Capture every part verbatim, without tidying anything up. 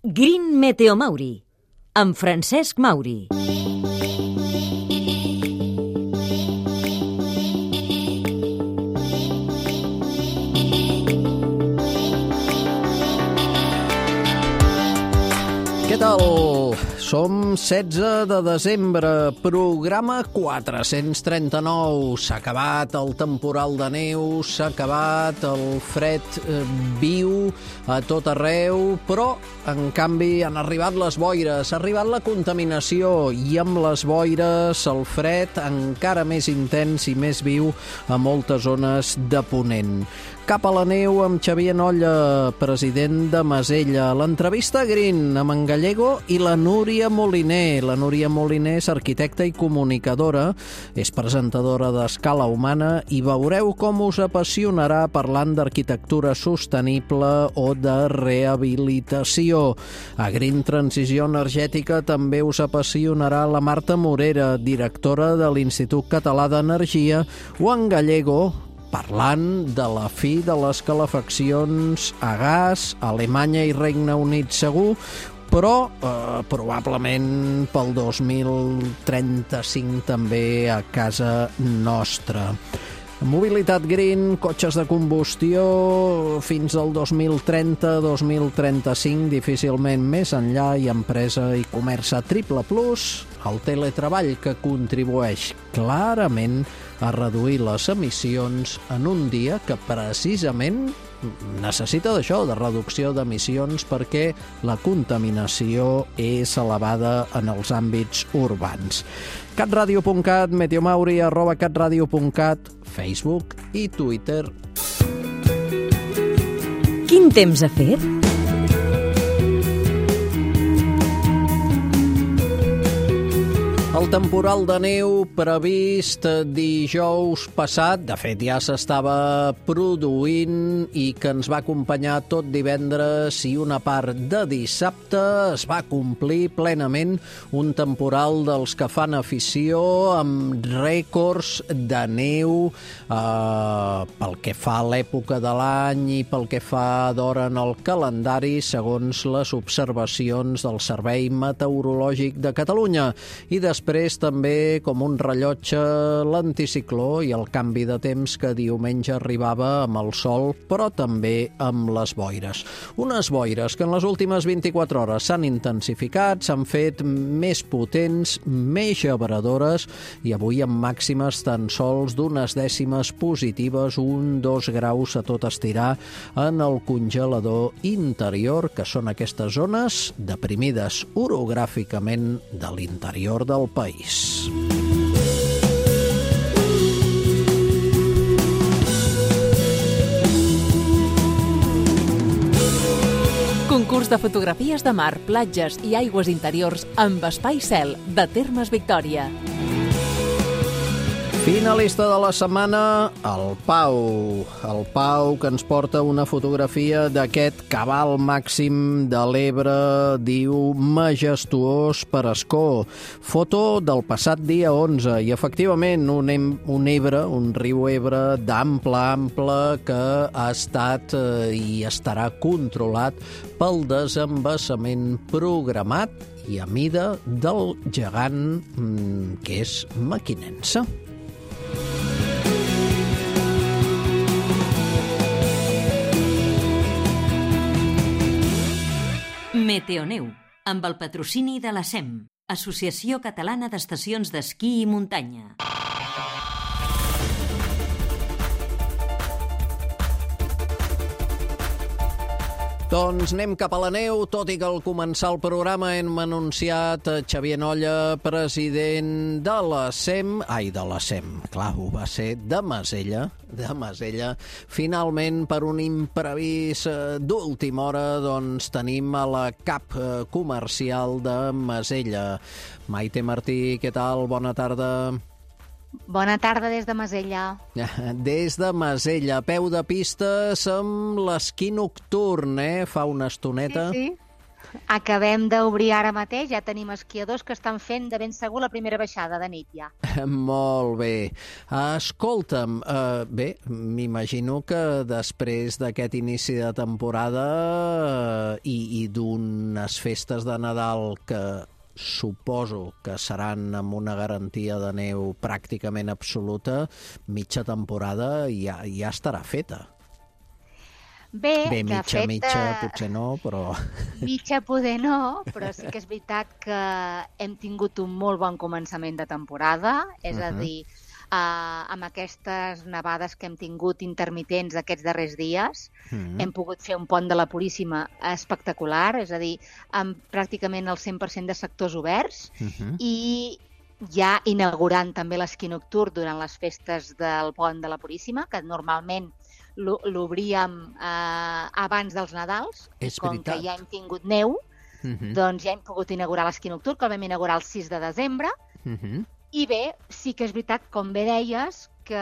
Green Meteo Mauri, amb Francesc Mauri. Què tal? Som setze de desembre, programa quatre-cents trenta-nou. S'ha acabat el temporal de neu, s'ha acabat el fred eh, viu a tot arreu, però, en canvi, han arribat les boires, ha arribat la contaminació i amb les boires el fred encara més intens i més viu a moltes zones de Ponent. Cap a la neu amb Xavier Nolla, president de Masella. L'entrevista a Green amb en Gallego i la Núria Moliner. La Núria Moliner és arquitecta i comunicadora, és presentadora d'Escala Humana i veureu com us apassionarà parlant d'arquitectura sostenible o de rehabilitació. A Green Transició Energètica també us apassionarà la Marta Morera, directora de l'Institut Català d'Energia, o en Gallego, parlant de la fi de les calefaccions a gas, a Alemanya i Regne Unit segur, però eh, probablement pel dos mil trenta-cinc també a casa nostra. Mobilitat green, cotxes de combustió, fins al dos mil trenta dos mil trenta-cinc, difícilment més enllà, i empresa i comerç a triple plus, el teletreball que contribueix clarament a reduir les emissions en un dia que precisament necessita d'això, de reducció d'emissions, perquè la contaminació és elevada en els àmbits urbans. catradio punt cat, meteomauri, arroba catradio punt cat, Facebook i Twitter. Quin temps ha fet? El temporal de neu previst dijous passat, de fet ja s'estava produint i que ens va acompanyar tot divendres i una part de dissabte, es va complir plenament un temporal dels que fan afició amb rècords de neu eh, pel que fa a l'època de l'any i pel que fa d'hora en el calendari, segons les observacions del Servei Meteorològic de Catalunya. I després Després també, com un rellotge, l'anticicló i el canvi de temps que diumenge arribava amb el sol, però també amb les boires. Unes boires que en les últimes vint-i-quatre hores s'han intensificat, s'han fet més potents, més gebradores, i avui amb màximes tan sols d'unes dècimes positives, un dos graus a tot estirar en el congelador interior, que són aquestes zones deprimides orogràficament de l'interior del país. Concurs de fotografies de mar, platges i aigües interiors amb espai cel de Termes Victòria. Finalista de la setmana, el Pau. El Pau, que ens porta una fotografia d'aquest cabal màxim de l'Ebre, diu majestuós per escó. Foto del passat dia onze, i efectivament un, un Ebre, un riu Ebre d'ample, ample, que ha estat eh, i estarà controlat pel desembassament programat i a mida del gegant mm, que és mequinense. Meteoneu, amb el patrocini de la S E M, Associació Catalana d'Estacions d'Esquí i Muntanya. Doncs anem cap a la neu, tot i que al començar el programa hem anunciat Xavier Nolla, president de la S E M, ai, de la S E M, clar, ho va ser de Masella, de Masella. Finalment, per un imprevist d'última hora, doncs tenim a la cap comercial de Masella. Maite Martí, què tal? Bona tarda. Bona tarda des de Masella. Des de Masella, a peu de pistes amb l'esquí nocturn, eh? Fa una estoneta. Sí, sí. Acabem d'obrir ara mateix, ja tenim esquiadors que estan fent de ben segur la primera baixada de nit ja. Molt bé. Escolta'm, uh, bé, m'imagino que després d'aquest inici de temporada uh, i, i d'unes festes de Nadal que suposo que seran amb una garantia de neu pràcticament absoluta, mitja temporada ja, ja estarà feta. Bé, Bé, de mitja, fet, mitja, potser no, però... Mitja poder no, però sí que és veritat que hem tingut un molt bon començament de temporada, és uh -huh. a dir, uh, amb aquestes nevades que hem tingut intermitents aquests darrers dies, uh -huh. hem pogut fer un pont de la Puríssima espectacular, és a dir, amb pràcticament el cent per cent de sectors oberts, uh -huh. i ja inaugurant també l'esquí nocturn durant les festes del pont de la Puríssima, que normalment l'obríem eh, abans dels Nadals, és com veritat. que ja hem tingut neu, uh-huh. doncs ja hem pogut inaugurar l'esquí nocturn, que el vam inaugurar el sis de desembre, uh-huh. i bé, sí que és veritat, com bé deies, que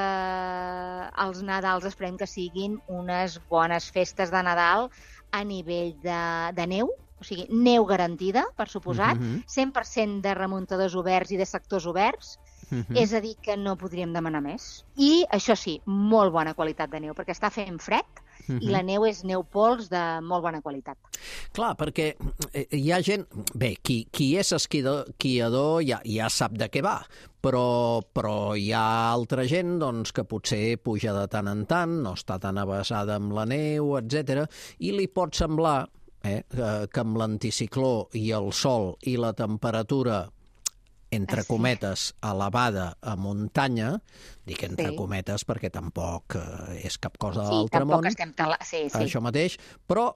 els Nadals esperem que siguin unes bones festes de Nadal a nivell de, de neu, o sigui, neu garantida, per suposat, uh-huh. cent per cent de remuntadors oberts i de sectors oberts, Uh-huh. és a dir, que no podríem demanar més. I, això sí, molt bona qualitat de neu, perquè està fent fred uh-huh. i la neu és neu pols de molt bona qualitat. Clar, perquè hi ha gent... Bé, qui, qui és esquiador ja, ja sap de què va, però, però hi ha altra gent doncs, que potser puja de tant en tant, no està tan avesada amb la neu, etcètera, i li pot semblar eh, que amb l'anticicló i el sol i la temperatura entre cometes, elevada a muntanya, dic entre sí. cometes perquè tampoc eh, és cap cosa de l'altre sí, món, estem tala... sí, sí. això mateix, però,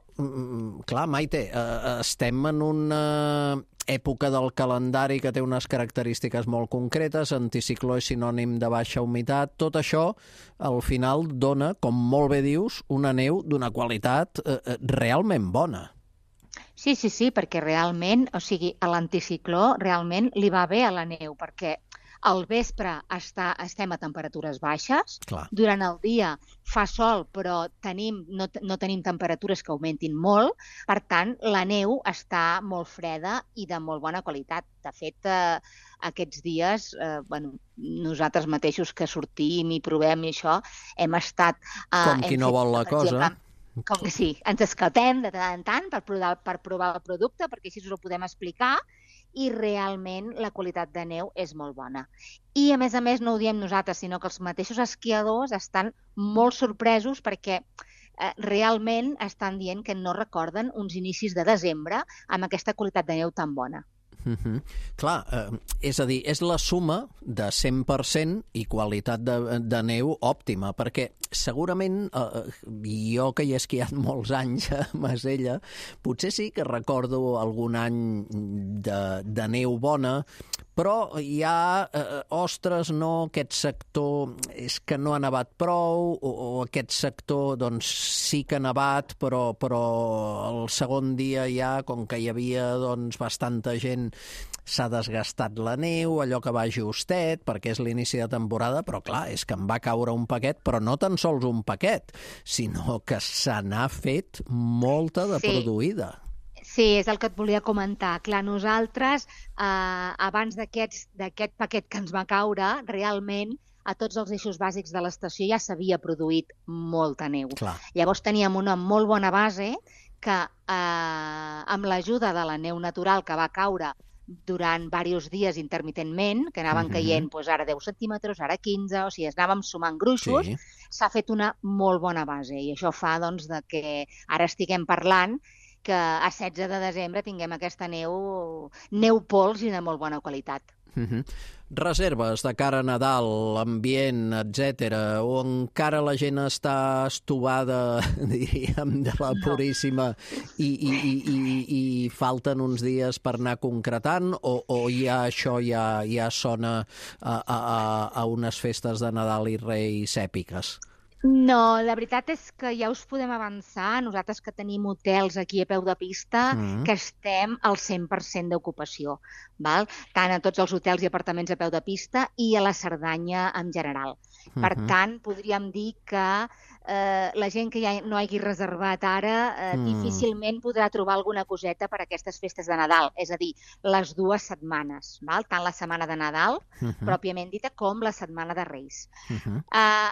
clar, Maite, eh, estem en una època del calendari que té unes característiques molt concretes, anticicló és sinònim de baixa humitat, tot això, al final, dona, com molt bé dius, una neu d'una qualitat eh, realment bona. Sí, sí, sí, perquè realment, o sigui, a l'anticicló realment li va bé a la neu, perquè al vespre està, estem a temperatures baixes, Clar. Durant el dia fa sol, però tenim, no, no tenim temperatures que augmentin molt, per tant, la neu està molt freda i de molt bona qualitat. De fet, eh, aquests dies, eh, bueno, nosaltres mateixos que sortim i provem i això, hem estat... Eh, Com qui no fet, vol la cosa... Exemple, com que sí, ens escaltem de tant en tant per provar, per provar el producte, perquè així us ho podem explicar, i realment la qualitat de neu és molt bona. I, a més a més, no ho diem nosaltres, sinó que els mateixos esquiadors estan molt sorpresos perquè eh, realment estan dient que no recorden uns inicis de desembre amb aquesta qualitat de neu tan bona. Uh-huh. Clar, eh, és a dir, és la suma de cent per cent i qualitat de, de neu òptima, perquè segurament eh, jo que hi he esquiat molts anys a Masella, potser sí que recordo algun any de, de neu bona, però hi ha, eh, ostres, no, aquest sector és que no ha nevat prou, o, o aquest sector doncs sí que ha nevat, però, però el segon dia ja, com que hi havia doncs bastanta gent, s'ha desgastat la neu, allò que va justet, perquè és l'inici de temporada, però clar, és que em va caure un paquet, però no tan sols un paquet, sinó que se n'ha fet molta de Sí. produïda. Sí, és el que et volia comentar. Clar, nosaltres, eh, abans d'aquest d'aquest paquet que ens va caure, realment a tots els eixos bàsics de l'estació ja s'havia produït molta neu. Clar. Llavors teníem una molt bona base que, eh, amb l'ajuda de la neu natural que va caure durant diversos dies intermitentment, que anaven Mhm. caient doncs, ara deu centímetres, ara quinze, o sigui, anàvem sumant gruixos, Sí. s'ha fet una molt bona base i això fa doncs, de que ara estiguem parlant que a setze de desembre tinguem aquesta neu, neu pols i de molt bona qualitat. Uh-huh. Reserves de cara a Nadal, ambient, etcètera, o encara la gent està estovada, diríem, de la Puríssima i, i, i, i, i falten uns dies per anar concretant, o, o ja això ja, ja sona a, a, a unes festes de Nadal i Reis èpiques? No, la veritat és que ja us podem avançar, nosaltres que tenim hotels aquí a peu de pista, mm. que estem al cent per cent d'ocupació, val? Tant a tots els hotels i apartaments a peu de pista i a la Cerdanya en general. Mm-hmm. Per tant, podríem dir que eh, la gent que ja no hagi reservat ara eh, mm. difícilment podrà trobar alguna coseta per a aquestes festes de Nadal, és a dir, les dues setmanes, val? Tant la setmana de Nadal, mm-hmm. pròpiament dita, com la setmana de Reis. Mm-hmm. Uh,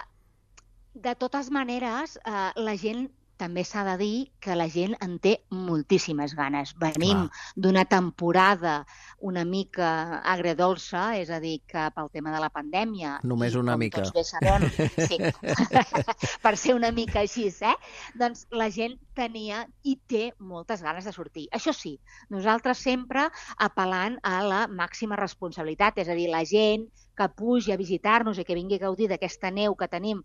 De totes maneres, eh, la gent també s'ha de dir que la gent en té moltíssimes ganes. Venim d'una temporada una mica agredolça, és a dir, que pel tema de la pandèmia... Només una com mica. Tots bé sabem, sí, per ser una mica així, eh? Doncs la gent tenia i té moltes ganes de sortir. Això sí, nosaltres sempre apel·lant a la màxima responsabilitat, és a dir, la gent que pugi a visitar-nos i que vingui a gaudir d'aquesta neu que tenim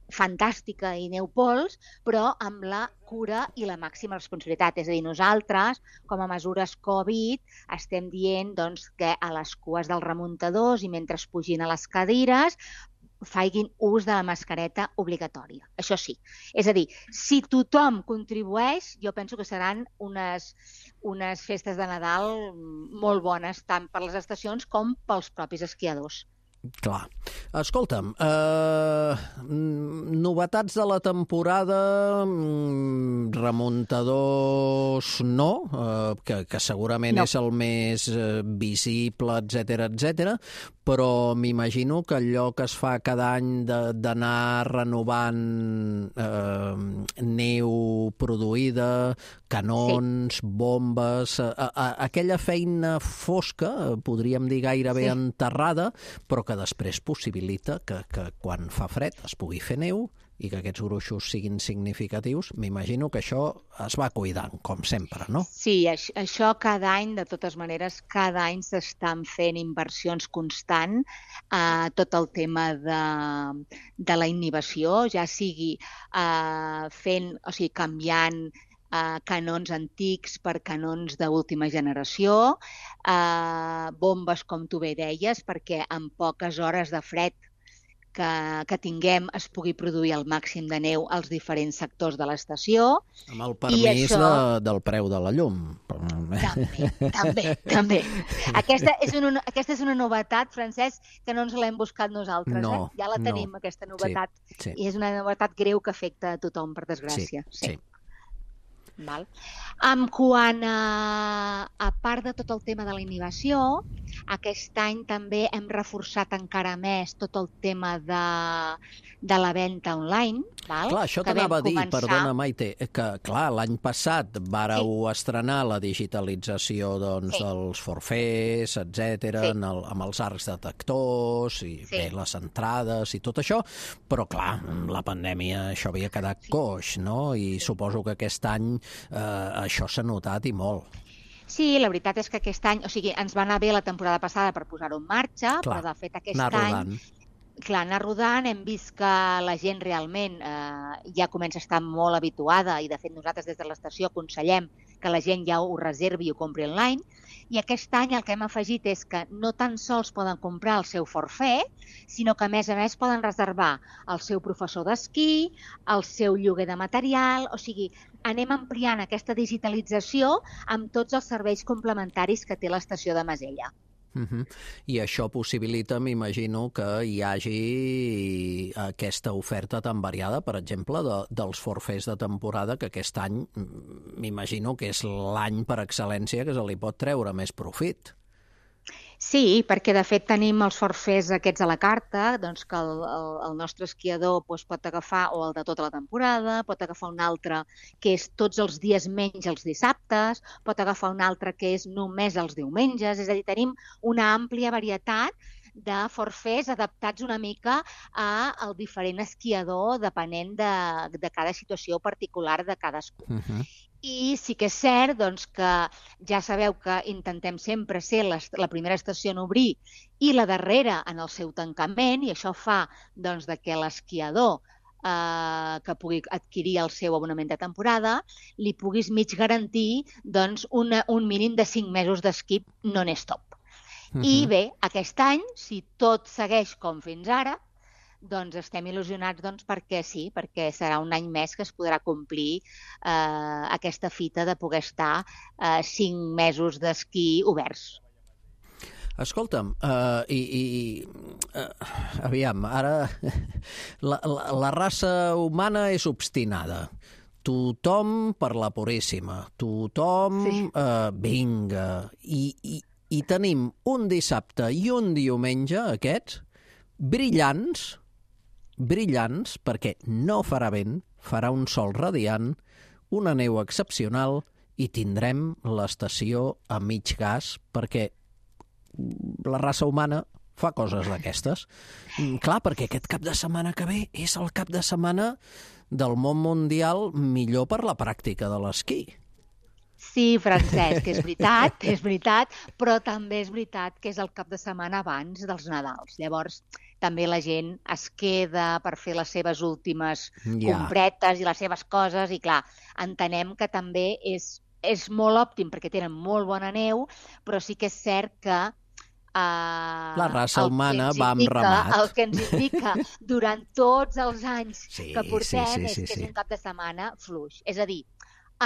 fantàstica i neu pols, però amb la cura i la màxima responsabilitat. És a dir, nosaltres, com a mesures Covid, estem dient doncs, que a les cues dels remuntadors i mentre es pugin a les cadires facin ús de la mascareta obligatòria. Això sí. És a dir, si tothom contribueix, jo penso que seran unes, unes festes de Nadal molt bones, tant per les estacions com pels propis esquiadors. Clar. Escolta'm, eh, novetats de la temporada, remuntadors no, eh, que, que segurament no. és el més eh, visible, etcètera, etcètera, però m'imagino que allò que es fa cada any d'anar renovant eh, neu produïda, canons, sí. bombes, a, a, aquella feina fosca, podríem dir gairebé sí. enterrada, però que després possibilita que, que quan fa fred es pugui fer neu i que aquests gruixos siguin significatius. M'imagino que això es va cuidant, com sempre, no? Sí, això cada any, de totes maneres, cada any s'estan fent inversions constant a tot el tema de, de la inhibició, ja sigui uh, fent, o sigui, canviant Uh, canons antics per canons d'última generació, uh, bombes, com tu bé deies, perquè en poques hores de fred que, que tinguem es pugui produir el màxim de neu als diferents sectors de l'estació. Amb el permís això... de, del preu de la llum. També, també, també. Aquesta és una, aquesta és una novetat, Francesc, que no ens l'hem buscat nosaltres. No, eh? Ja la tenim, no. aquesta novetat. Sí, sí. I és una novetat greu que afecta a tothom, per desgràcia. Sí, sí. sí. Val. En quant a, a part de tot el tema de la inhibició, aquest any també hem reforçat encara més tot el tema de, de la venda online. Val? Clar, això t'anava a dir, començar... perdona Maite, que clar, l'any passat vàreu sí. estrenar la digitalització doncs, sí. dels forfers, etcètera, sí. amb els arcs detectors i sí. bé, les entrades i tot això, però clar, amb la pandèmia això havia quedat sí. coix, no? I sí. suposo que aquest any eh, això s'ha notat i molt. Sí, la veritat és que aquest any, o sigui, ens va anar bé la temporada passada per posar-ho en marxa, clar, però de fet aquest any... Clar, anar rodant, hem vist que la gent realment eh, ja comença a estar molt habituada i de fet nosaltres des de l'estació aconsellem que la gent ja ho reservi i ho compri online i aquest any el que hem afegit és que no tan sols poden comprar el seu forfait, sinó que a més a més poden reservar el seu professor d'esquí, el seu lloguer de material, o sigui, anem ampliant aquesta digitalització amb tots els serveis complementaris que té l'estació de Masella. Uh-huh. I això possibilita, m'imagino, que hi hagi aquesta oferta tan variada, per exemple, de, dels forfers de temporada, que aquest any m'imagino que és l'any per excel·lència que se li pot treure més profit. Sí, perquè de fet tenim els forfers aquests a la carta, doncs que el, el, el nostre esquiador doncs, pot agafar o el de tota la temporada, pot agafar un altre que és tots els dies menys els dissabtes, pot agafar un altre que és només els diumenges, és a dir, tenim una àmplia varietat de forfers adaptats una mica al diferent esquiador depenent de, de cada situació particular de cadascú. Uh-huh. I sí que és cert doncs, que ja sabeu que intentem sempre ser la, la primera estació en obrir i la darrera en el seu tancament, i això fa doncs, de que l'esquiador eh, que pugui adquirir el seu abonament de temporada li puguis mig garantir doncs, una, un mínim de cinc mesos d'esquí non-stop. Uh-huh. I bé, aquest any, si tot segueix com fins ara, doncs estem il·lusionats doncs, perquè sí, perquè serà un any més que es podrà complir eh, aquesta fita de poder estar eh, cinc mesos d'esquí oberts. Escolta'm, uh, i, i uh, aviam, ara la, la, la raça humana és obstinada. Tothom per la puríssima, tothom sí. uh, vinga. I, i, I tenim un dissabte i un diumenge, aquests, brillants, brillants, perquè no farà vent, farà un sol radiant, una neu excepcional i tindrem l'estació a mig gas, perquè la raça humana fa coses d'aquestes. Clar, perquè aquest cap de setmana que ve és el cap de setmana del món mundial millor per la pràctica de l'esquí. Sí, Francesc, és veritat, és veritat, però també és veritat que és el cap de setmana abans dels Nadals. Llavors, també la gent es queda per fer les seves últimes ja. compretes i les seves coses, i clar, entenem que també és, és molt òptim perquè tenen molt bona neu, però sí que és cert que Uh, la raça humana va amb ramat. El que ens indica durant tots els anys sí, que portem sí, sí, és sí, que sí. és un cap de setmana fluix. És a dir,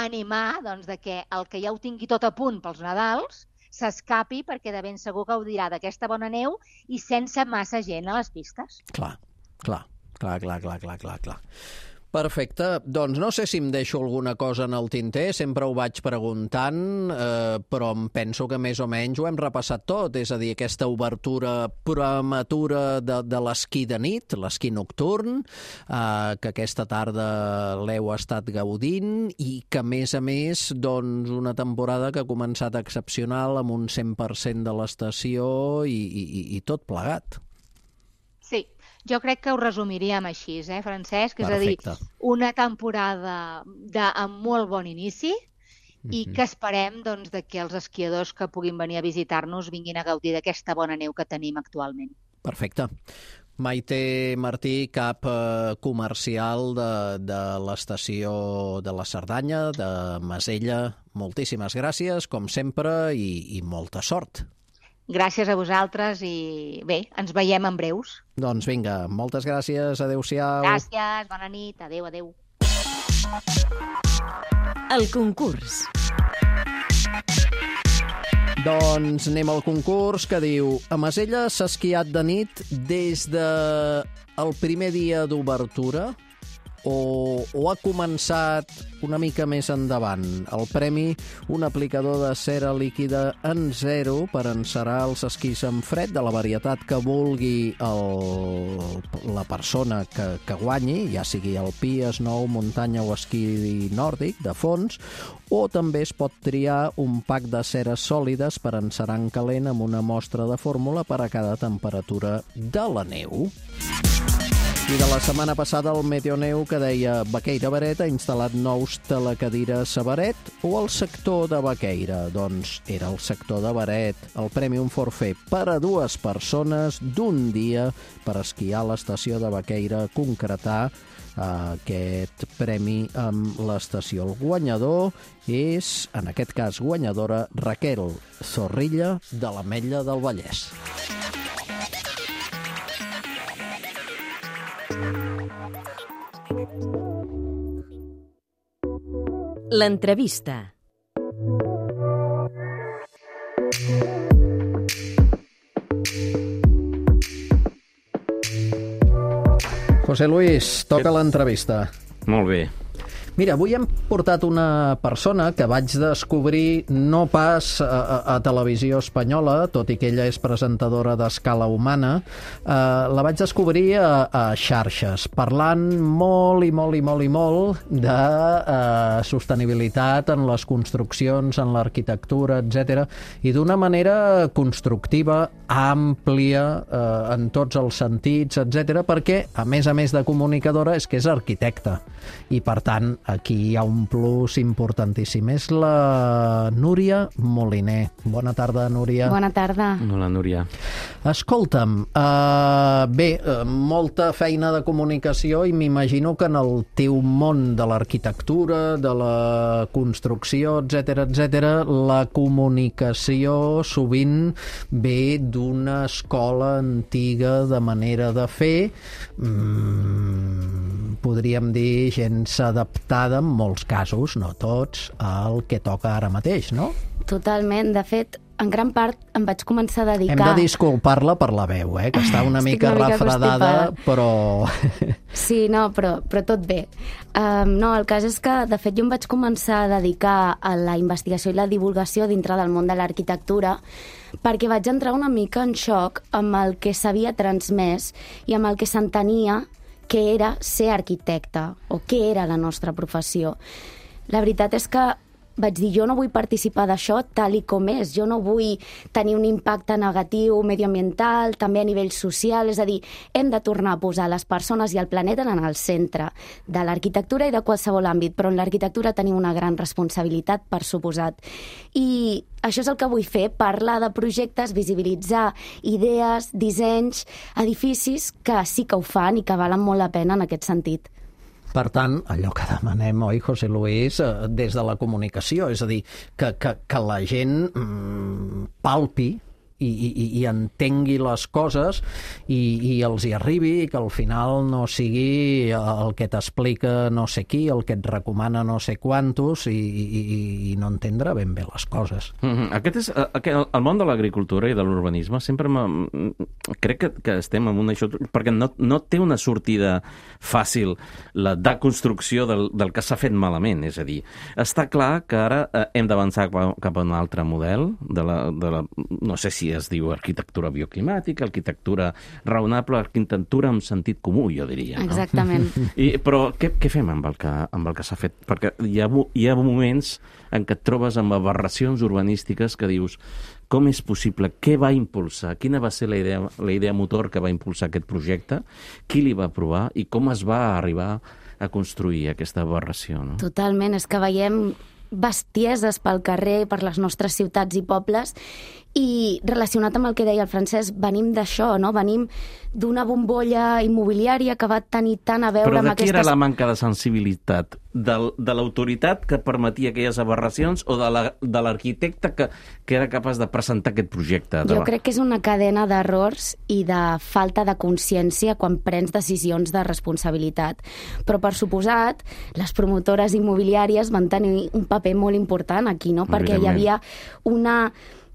animar doncs, de que el que ja ho tingui tot a punt pels Nadals s'escapi perquè de ben segur gaudirà d'aquesta bona neu i sense massa gent a les pistes. Clar, clar, clar, clar, clar, clar, clar, clar. Perfecte. Doncs no sé si em deixo alguna cosa en el tinter, sempre ho vaig preguntant, eh, però em penso que més o menys ho hem repassat tot, és a dir, aquesta obertura prematura de, de l'esquí de nit, l'esquí nocturn, eh, que aquesta tarda l'heu estat gaudint i que, a més a més, doncs, una temporada que ha començat excepcional amb un cent per cent de l'estació i, i, i tot plegat. Sí. Jo crec que ho resumiríem així, eh, Francesc? És Perfecte. a dir, una temporada de, amb molt bon inici i mm-hmm. que esperem doncs, de que els esquiadors que puguin venir a visitar-nos vinguin a gaudir d'aquesta bona neu que tenim actualment. Perfecte. Maite Martí, cap eh, comercial de, de l'estació de la Cerdanya, de Masella, moltíssimes gràcies, com sempre, i, i molta sort. Gràcies a vosaltres i bé, ens veiem en breus. Doncs vinga, moltes gràcies, adéu-siau. Gràcies, bona nit, adéu, adéu. El concurs. Doncs anem al concurs que diu: a Masella s'ha esquiat de nit des de el primer dia d'obertura o, o ha començat una mica més endavant? El premi, un aplicador de cera líquida en zero per encerar els esquís en fred de la varietat que vulgui el, la persona que, que guanyi, ja sigui alpí, snow, muntanya o esquí nòrdic de fons, o també es pot triar un pack de ceres sòlides per encerar en calent amb una mostra de fórmula per a cada temperatura de la neu. I de la setmana passada el Meteoneu que deia Baqueira Beret ha instal·lat nous telecadires a Beret o al sector de Baqueira? Doncs era el sector de Beret. El premi un forfait per a dues persones d'un dia per esquiar a l'estació de Baqueira, concretar aquest premi amb l'estació. El guanyador és, en aquest cas guanyadora, Raquel Zorrilla de l'Ametlla del Vallès. L'entrevista. José Luis, toca l'entrevista. Molt bé. Mira, avui hem portat una persona que vaig descobrir no pas a, a, a Televisió Espanyola, tot i que ella és presentadora d'Escala Humana, eh, la vaig descobrir a, a xarxes, parlant molt i molt i molt i molt de eh, sostenibilitat en les construccions, en l'arquitectura, etcètera, i d'una manera constructiva, àmplia, eh, en tots els sentits, etcètera, perquè, a més a més de comunicadora, és que és arquitecta, i per tant aquí hi ha un plus importantíssim. És la Núria Moliner. Bona tarda, Núria. Bona tarda. Hola, Núria. Escolta'm, uh, bé, uh, molta feina de comunicació i m'imagino que en el teu món de l'arquitectura, de la construcció, etcètera, etcètera, la comunicació sovint ve d'una escola antiga de manera de fer, mm, podríem dir gens adaptada en molts casos, no tots, al que toca ara mateix, no? Totalment. De fet, en gran part em vaig començar a dedicar... Hem de disculpar-la per la veu, eh? Que està una mica, una mica refredada, constipada. però... Sí, no, però, però tot bé. Um, no, el cas és que, de fet, jo em vaig començar a dedicar a la investigació i la divulgació dintre del món de l'arquitectura perquè vaig entrar una mica en xoc amb el que s'havia transmès i amb el que s'entenia que era ser arquitecte o què era la nostra professió. La veritat és que vaig dir, jo no vull participar d'això tal i com és, jo no vull tenir un impacte negatiu medioambiental, també a nivell social, és a dir, hem de tornar a posar les persones i el planeta en el centre de l'arquitectura i de qualsevol àmbit, però en l'arquitectura tenim una gran responsabilitat, per suposat. I això és el que vull fer, parlar de projectes, visibilitzar idees, dissenys, edificis que sí que ho fan i que valen molt la pena en aquest sentit. Per tant, allò que demanem, oi, José Luis, des de la comunicació, és a dir, que, que, que la gent mm, palpi i, i, i entengui les coses i, i els hi arribi, i que al final no sigui el que t'explica no sé qui, el que et recomana no sé quantos i, i, i no entendre ben bé les coses. Mm-hmm. Aquest és, aquest, el món de l'agricultura i de l'urbanisme sempre crec que, que estem en una... perquè no, no té una sortida fàcil la deconstrucció del, del que s'ha fet malament, és a dir, està clar que ara eh, hem d'avançar cap a un altre model de la, de la, no sé si es diu arquitectura bioclimàtica, arquitectura raonable, arquitectura amb sentit comú, jo diria. No? Exactament. I, però què, què fem amb el que, amb el que s'ha fet? Perquè hi ha, hi ha moments en què et trobes amb aberracions urbanístiques que dius, com és possible? Què va impulsar? Quina va ser la idea, la idea motor que va impulsar aquest projecte? Qui li va aprovar? I com es va arribar a construir aquesta aberració? No? Totalment. És que veiem bestieses pel carrer, per les nostres ciutats i pobles, i relacionat amb el que deia el Francesc, venim d'això, no? Venim d'una bombolla immobiliària que va tenir tant a veure Però amb de qui aquestes... era la manca de sensibilitat? De, de l'autoritat que permetia aquelles aberracions o de l'arquitecte la, que, que era capaç de presentar aquest projecte? Jo crec que és una cadena d'errors i de falta de consciència quan prens decisions de responsabilitat. Però, per suposat, les promotores immobiliàries van tenir un paper molt important aquí, no? Perquè hi havia una,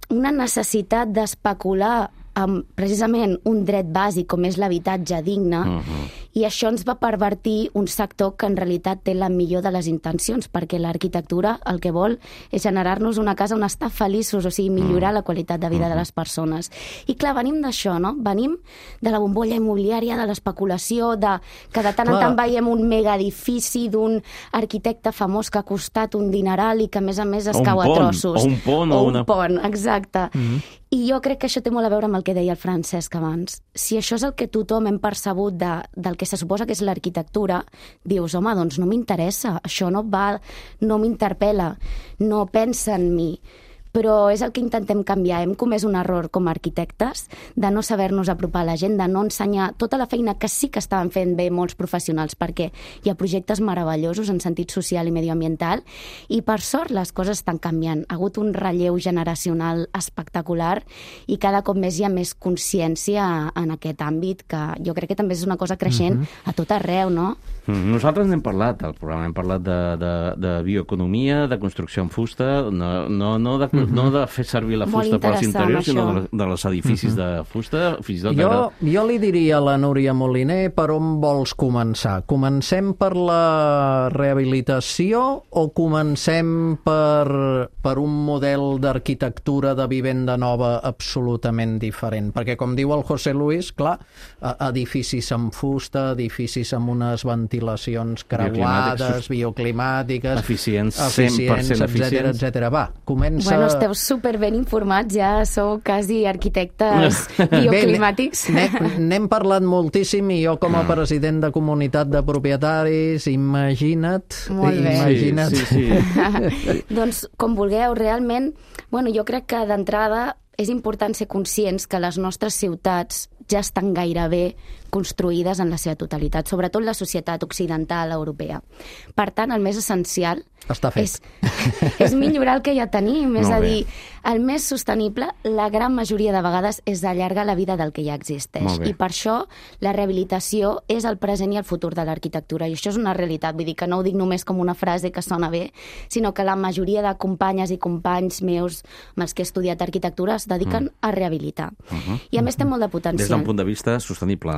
una necessitat d'especular amb precisament un dret bàsic com és l'habitatge digne, uh-huh. i això ens va pervertir un sector que en realitat té la millor de les intencions, perquè l'arquitectura el que vol és generar-nos una casa on estar feliços, o sigui, millorar uh-huh. la qualitat de vida uh-huh. de les persones. I clar, venim d'això, no? Venim de la bombolla immobiliària, de l'especulació, de que de tant en tant veiem un megaedifici d'un arquitecte famós que ha costat un dineral i que a més a més es cau a trossos. O un pont. O o un una... pont, exacte. Uh-huh. I jo crec que això té molt a veure amb el que deia el Francesc abans. Si això és el que tothom hem percebut de, del que se suposa que és l'arquitectura, dius, home, doncs no m'interessa, això no va, no m'interpel·la, no pensa en mi. Però és el que intentem canviar. Hem comès un error com a arquitectes de no saber-nos apropar a la gent, de no ensenyar tota la feina que sí que estaven fent bé molts professionals, perquè hi ha projectes meravellosos en sentit social i medioambiental, i per sort les coses estan canviant. Ha hagut un relleu generacional espectacular i cada cop més hi ha més consciència en aquest àmbit, que jo crec que també és una cosa creixent uh-huh. a tot arreu, no? Nosaltres n'hem parlat, al programa hem parlat de, de, de bioeconomia, de construcció en fusta, no, no, no, de, uh-huh. no de fer servir la fusta per als interiors, sinó de, de les edificis uh-huh. de fusta, fins i tot... Jo, jo li diria a la Núria Moliner per on vols començar. Comencem per la rehabilitació o comencem per, per un model d'arquitectura de vivenda nova absolutament diferent? Perquè, com diu el José Luis, clar, edificis amb fusta, edificis amb unes ventilacions creuades, bioclimàtiques, eficients, eficients cent per cent etcètera, etcètera. Va, comença bueno, esteu superben informats, ja sou quasi arquitectes bioclimàtics. Bé, n'hem parlat moltíssim i jo com a president de comunitat de propietaris, imagina't... Molt bé. Imagina't. Sí, sí, sí. Doncs, com vulgueu, realment, bueno, jo crec que d'entrada és important ser conscients que les nostres ciutats ja estan gairebé construïdes en la seva totalitat, sobretot la societat occidental europea. Per tant, el més essencial Està fet. és, és millorar el que ja tenim, és Molt a bé. dir, el més sostenible, la gran majoria de vegades, és allargar la vida del que ja existeix. Molt bé. I per això la rehabilitació és el present i el futur de l'arquitectura. I això és una realitat, vull dir que no ho dic només com una frase que sona bé, sinó que la majoria de companyes i companys meus amb els que he estudiat arquitectura es dediquen mm. a rehabilitar. Uh -huh. I a més té molt de potencial. Des d'un punt de vista sostenible.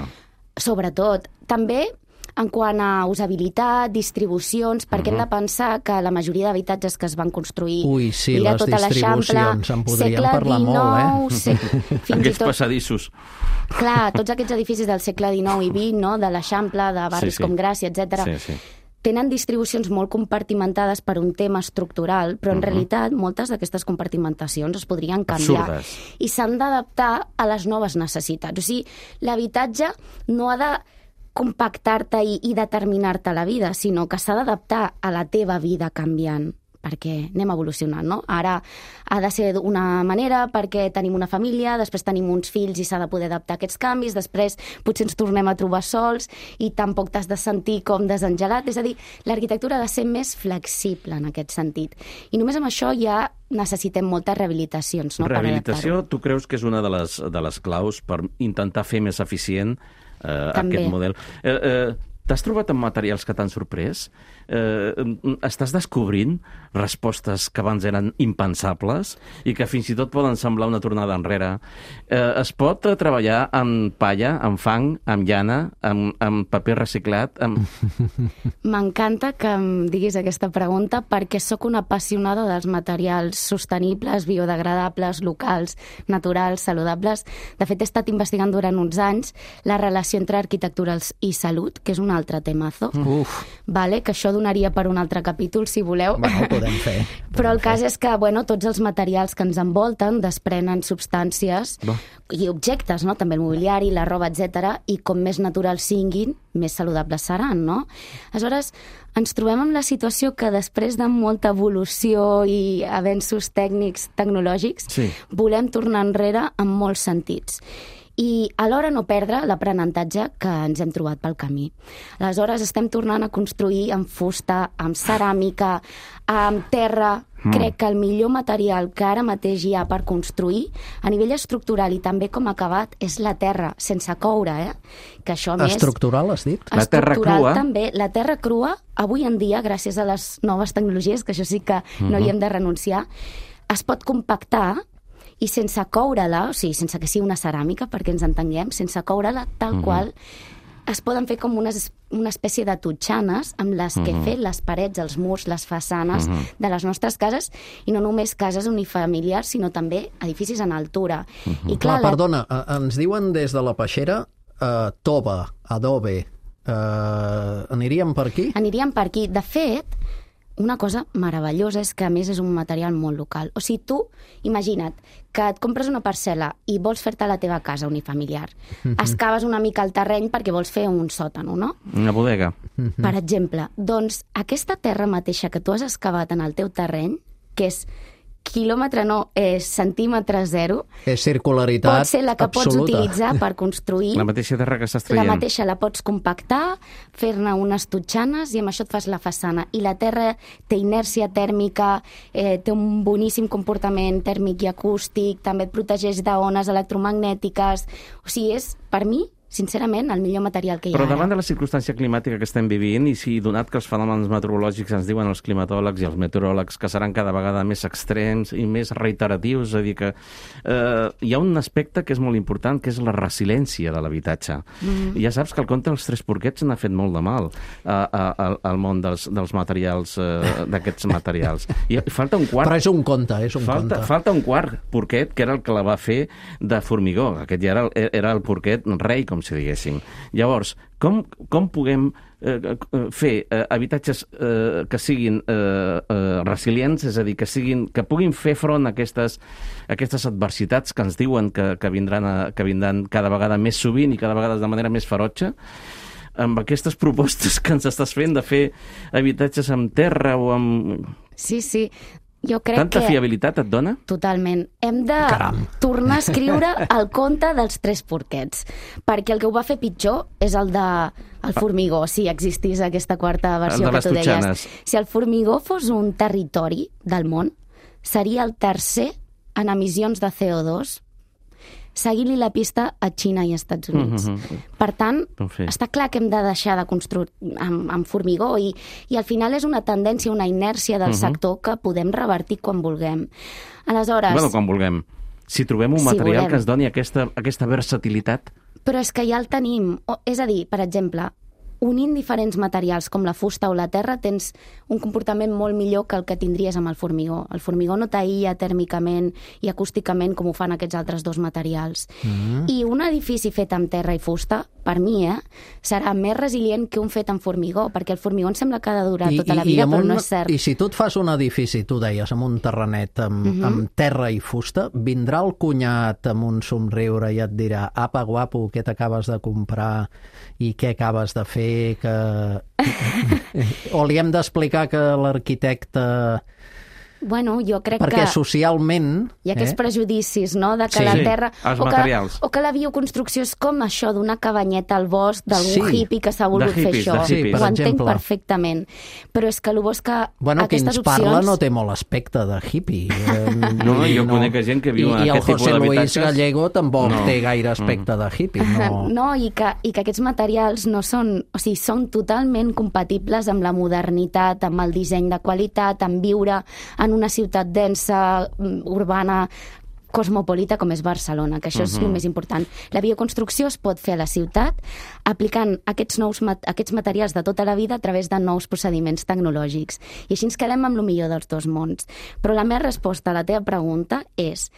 Sobretot. També en quant a usabilitat, distribucions, perquè uh -huh. hem de pensar que la majoria d'habitatges que es van construir... Ui, sí, mira, les tota distribucions, en podríem parlar molt, eh? Se... Fins Aquests i tot... passadissos. Clar, tots aquests edificis del segle dinou i vint, no? De l'Eixample, de barris Sí, sí. com Gràcia, etcètera. Sí, sí. Tenen distribucions molt compartimentades per un tema estructural, però en uh -huh. realitat moltes d'aquestes compartimentacions es podrien canviar. Absurdes. I s'han d'adaptar a les noves necessitats. O sigui, l'habitatge no ha de compactar-te i, i determinar-te la vida, sinó que s'ha d'adaptar a la teva vida canviant, perquè anem evolucionant, no? Ara ha de ser d'una manera perquè tenim una família, després tenim uns fills i s'ha de poder adaptar a aquests canvis, després potser ens tornem a trobar sols i tampoc t'has de sentir com desengelat. És a dir, l'arquitectura ha de ser més flexible en aquest sentit. I només amb això ja necessitem moltes rehabilitacions, no? Rehabilitació, tu creus que és una de les, de les claus per intentar fer més eficient eh, aquest model? Eh, eh, T'has trobat amb materials que t'han sorprès? Eh, estàs descobrint respostes que abans eren impensables i que fins i tot poden semblar una tornada enrere? Eh, es pot eh, treballar amb palla, amb fang, amb llana, amb, amb paper reciclat? Amb... M'encanta que em diguis aquesta pregunta perquè sóc una apassionada dels materials sostenibles, biodegradables, locals, naturals, saludables. De fet, he estat investigant durant uns anys la relació entre arquitectura i salut, que és un altre temazo. Uf. Vale, que això donaria per un altre capítol, si voleu. Bueno, ho podem fer. Però el Podem cas fer. és que, bueno, tots els materials que ens envolten desprenen substàncies Bo. i objectes, no? També el mobiliari, la roba, etcètera. I com més naturals siguin, més saludables seran, no? Aleshores, ens trobem amb la situació que després de molta evolució i avenços tècnics, tecnològics, Sí. volem tornar enrere en molts sentits. I alhora no perdre l'aprenentatge que ens hem trobat pel camí. Aleshores estem tornant a construir amb fusta, amb ceràmica, amb terra. Mm. Crec que el millor material que ara mateix hi ha per construir, a nivell estructural i també com a acabat, és la terra, sense coure, eh? Que això, a més... Estructural, has dit? La terra estructural crua. també. La terra crua, avui en dia, gràcies a les noves tecnologies, que això sí que no hi hem de renunciar, es pot compactar i sense coure-la, o sigui, sense que sigui una ceràmica, perquè ens entenguem, sense coure-la tal uh-huh. qual, es poden fer com unes, una espècie de totxanes amb les que uh-huh. fer les parets, els murs, les façanes uh-huh. de les nostres cases, i no només cases unifamiliars, sinó també edificis en altura. Uh-huh. I clar, Clar, perdona, la... ens diuen des de la peixera uh, tova, adobe, uh, aniríem per aquí? Aniríem per aquí. De fet, una cosa meravellosa és que, a més, és un material molt local. O sigui, tu, imagina't que et compres una parcel·la i vols fer-te la teva casa unifamiliar. Mm-hmm. Excaves una mica el terreny perquè vols fer un sòtano, no? Una bodega. Mm-hmm. Per exemple. Doncs aquesta terra mateixa que tu has excavat en el teu terreny, que és quilòmetre no, és centímetre zero, és circularitat pot ser la que absoluta. pots utilitzar per construir. La mateixa terra que estàs traient. La mateixa la pots compactar, fer-ne unes totxanes i amb això et fas la façana. I la terra té inèrcia tèrmica, eh, té un boníssim comportament tèrmic i acústic, també et protegeix d'ones electromagnètiques. O sigui, és, per mi, sincerament, el millor material que hi ha Però ara. davant de la circumstància climàtica que estem vivint, i si donat que els fenòmens meteorològics ens diuen els climatòlegs i els meteoròlegs que seran cada vegada més extrems i més reiteratius, és a dir que eh, hi ha un aspecte que és molt important, que és la resiliència de l'habitatge. Mm-hmm. I ja saps que el conte dels tres porquets n'ha fet molt de mal a, a, a, al món dels, dels materials, eh, d'aquests materials. I falta un quart... Però és un conte, és un falta, conte. Falta un quart porquet, que era el que la va fer de formigó. Aquest ja era, era el porquet rei, com com si diguéssim. Llavors, com, com puguem eh, fer eh, habitatges eh, que siguin eh, eh, resilients, és a dir, que, siguin, que puguin fer front a aquestes, a aquestes adversitats que ens diuen que, que, vindran a, que vindran cada vegada més sovint i cada vegada de manera més ferotge, amb aquestes propostes que ens estàs fent de fer habitatges amb terra o amb... Sí, sí. Jo crec Tanta que... fiabilitat et dona? Totalment. Hem de Caram. tornar a escriure el conte dels tres porquets, perquè el que ho va fer pitjor és el de el formigó, si existís aquesta quarta versió que tu deies. Si el formigó fos un territori del món, seria el tercer en emissions de C O dos, seguint-li la pista a Xina i Estats Units. Mm-hmm. Per tant, sí. està clar que hem de deixar de construir amb, amb formigó i, i al final és una tendència, una inèrcia del mm-hmm. sector que podem revertir quan vulguem. Aleshores... Bueno, quan vulguem. Si trobem un si material volem. que ens doni aquesta, aquesta versatilitat... Però és que ja el tenim. O, és a dir, per exemple, unint diferents materials com la fusta o la terra tens un comportament molt millor que el que tindries amb el formigó. El formigó no t'aïlla tèrmicament i acústicament com ho fan aquests altres dos materials. Mm-hmm. I un edifici fet amb terra i fusta, per mi, eh, serà més resilient que un fet amb formigó, perquè el formigó em sembla que ha de durar I, tota la vida, però un, no és cert. I si tu et fas un edifici, tu deies, amb un terrenet amb, mm-hmm. amb terra i fusta, vindrà el cunyat amb un somriure i et dirà, apa, guapo, què t'acabes de comprar i què acabes de fer, que... o li hem d'explicar que l'arquitecte... Bueno, jo crec Perquè que... socialment... Hi ha aquests eh? prejudicis, no?, de que sí, la sí, terra... els o materials. Que, o que la bioconstrucció és com això d'una cabanyeta al bosc d'algun sí. hippie que s'ha volgut hippies, fer això. Sí, Ho per entenc exemple. perfectament. Però és que el bo és que bueno, aquestes qui ens parla opcions... no té molt aspecte de hippie. No, jo no. conec gent que viu I, en i aquest tipus d'habitatges. I el José Luis d'habitatges. Gallego tampoc No. té gaire aspecte de hippie. No, No, i que, i que aquests materials no són... O sigui, són totalment compatibles amb la modernitat, amb el disseny de qualitat, amb viure en una ciutat densa, urbana, cosmopolita com és Barcelona, que això uh-huh. és el més important. La bioconstrucció es pot fer a la ciutat aplicant aquests, nous, aquests materials de tota la vida a través de nous procediments tecnològics. I així ens quedem amb el millor dels dos mons. Però la meva resposta a la teva pregunta és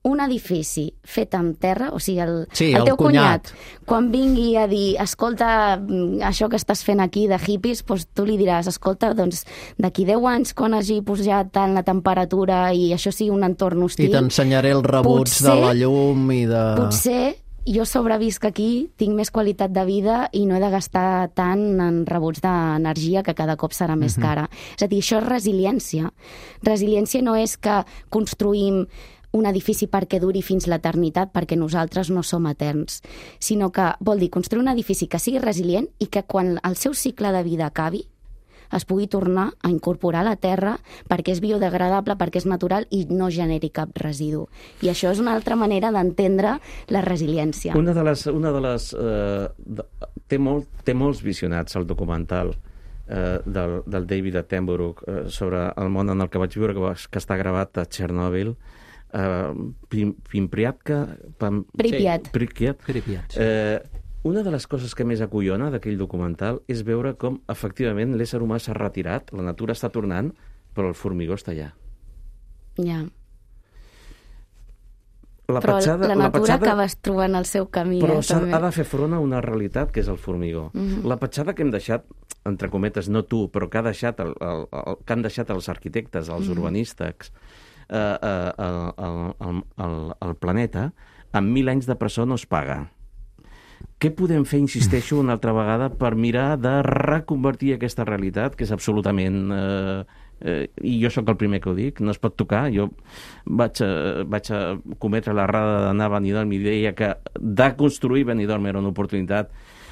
un edifici fet amb terra, o sigui, el, sí, el el teu cunyat. cunyat, quan vingui a dir, escolta, això que estàs fent aquí de hippies, doncs tu li diràs, escolta, doncs d'aquí deu anys, quan hagi pujat tant la temperatura i això sigui un entorn hostil... I t'ensenyaré els rebuts potser, de la llum i de... Potser jo sobrevisc aquí, tinc més qualitat de vida i no he de gastar tant en rebuts d'energia que cada cop serà més cara. Uh-huh. És a dir, això és resiliència. Resiliència no és que construïm un edifici perquè duri fins l'eternitat, perquè nosaltres no som eterns, sinó que vol dir construir un edifici que sigui resilient i que quan el seu cicle de vida acabi es pugui tornar a incorporar a la terra perquè és biodegradable, perquè és natural i no generi cap residu. I això és una altra manera d'entendre la resiliència. Una de les... Una de les eh, de, té, molt, té molts visionats el documental eh, del, del David Attenborough eh, sobre el món en el que vaig viure, que, va, que està gravat a Txernòbil. Uh, Pripyatka Pam... Pripyat. Sí, Pripyat. Pripyat, sí. Eh, una de les coses que més acollona d'aquell documental és veure com, efectivament, l'ésser humà s'ha retirat, la natura està tornant, però el formigó està allà. Ja. La però petjada, la natura la petjada, acabes trobant el seu camí. Però eh, ha de fer front a una realitat que és el formigó. Mm-hmm. La petjada que hem deixat, entre cometes, no tu, però que, ha deixat el, el, el, que han deixat els arquitectes, els mm-hmm. urbanistes, eh, eh, el, el, el, el, el planeta, amb mil anys de presó no es paga. Què podem fer, insisteixo, una altra vegada, per mirar de reconvertir aquesta realitat, que és absolutament... Eh, eh, i jo sóc el primer que ho dic, no es pot tocar. Jo vaig a, vaig a cometre l'errada d'anar a Benidorm i deia que de construir Benidorm era una oportunitat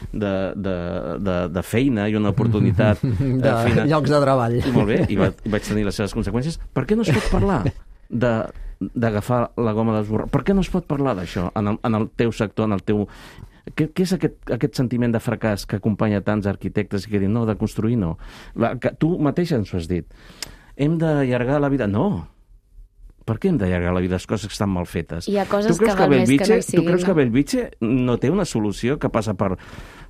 de, de, de, de feina i una oportunitat... de eh, feina. Llocs de treball. I molt bé, i, va, i vaig tenir les seves conseqüències. Per què no es pot parlar de d'agafar la goma d'esborrar? Per què no es pot parlar d'això en, el, en el teu sector, en el teu... Què, què és aquest, aquest sentiment de fracàs que acompanya tants arquitectes i que diuen no, de construir no? La, que tu mateix ens ho has dit. Hem d'allargar la vida? No. Per què hem d'allargar la vida? Les coses que estan mal fetes. Hi ha coses que val més que no hi siguin. Tu creus no? que Bellvitge no té una solució que passa per,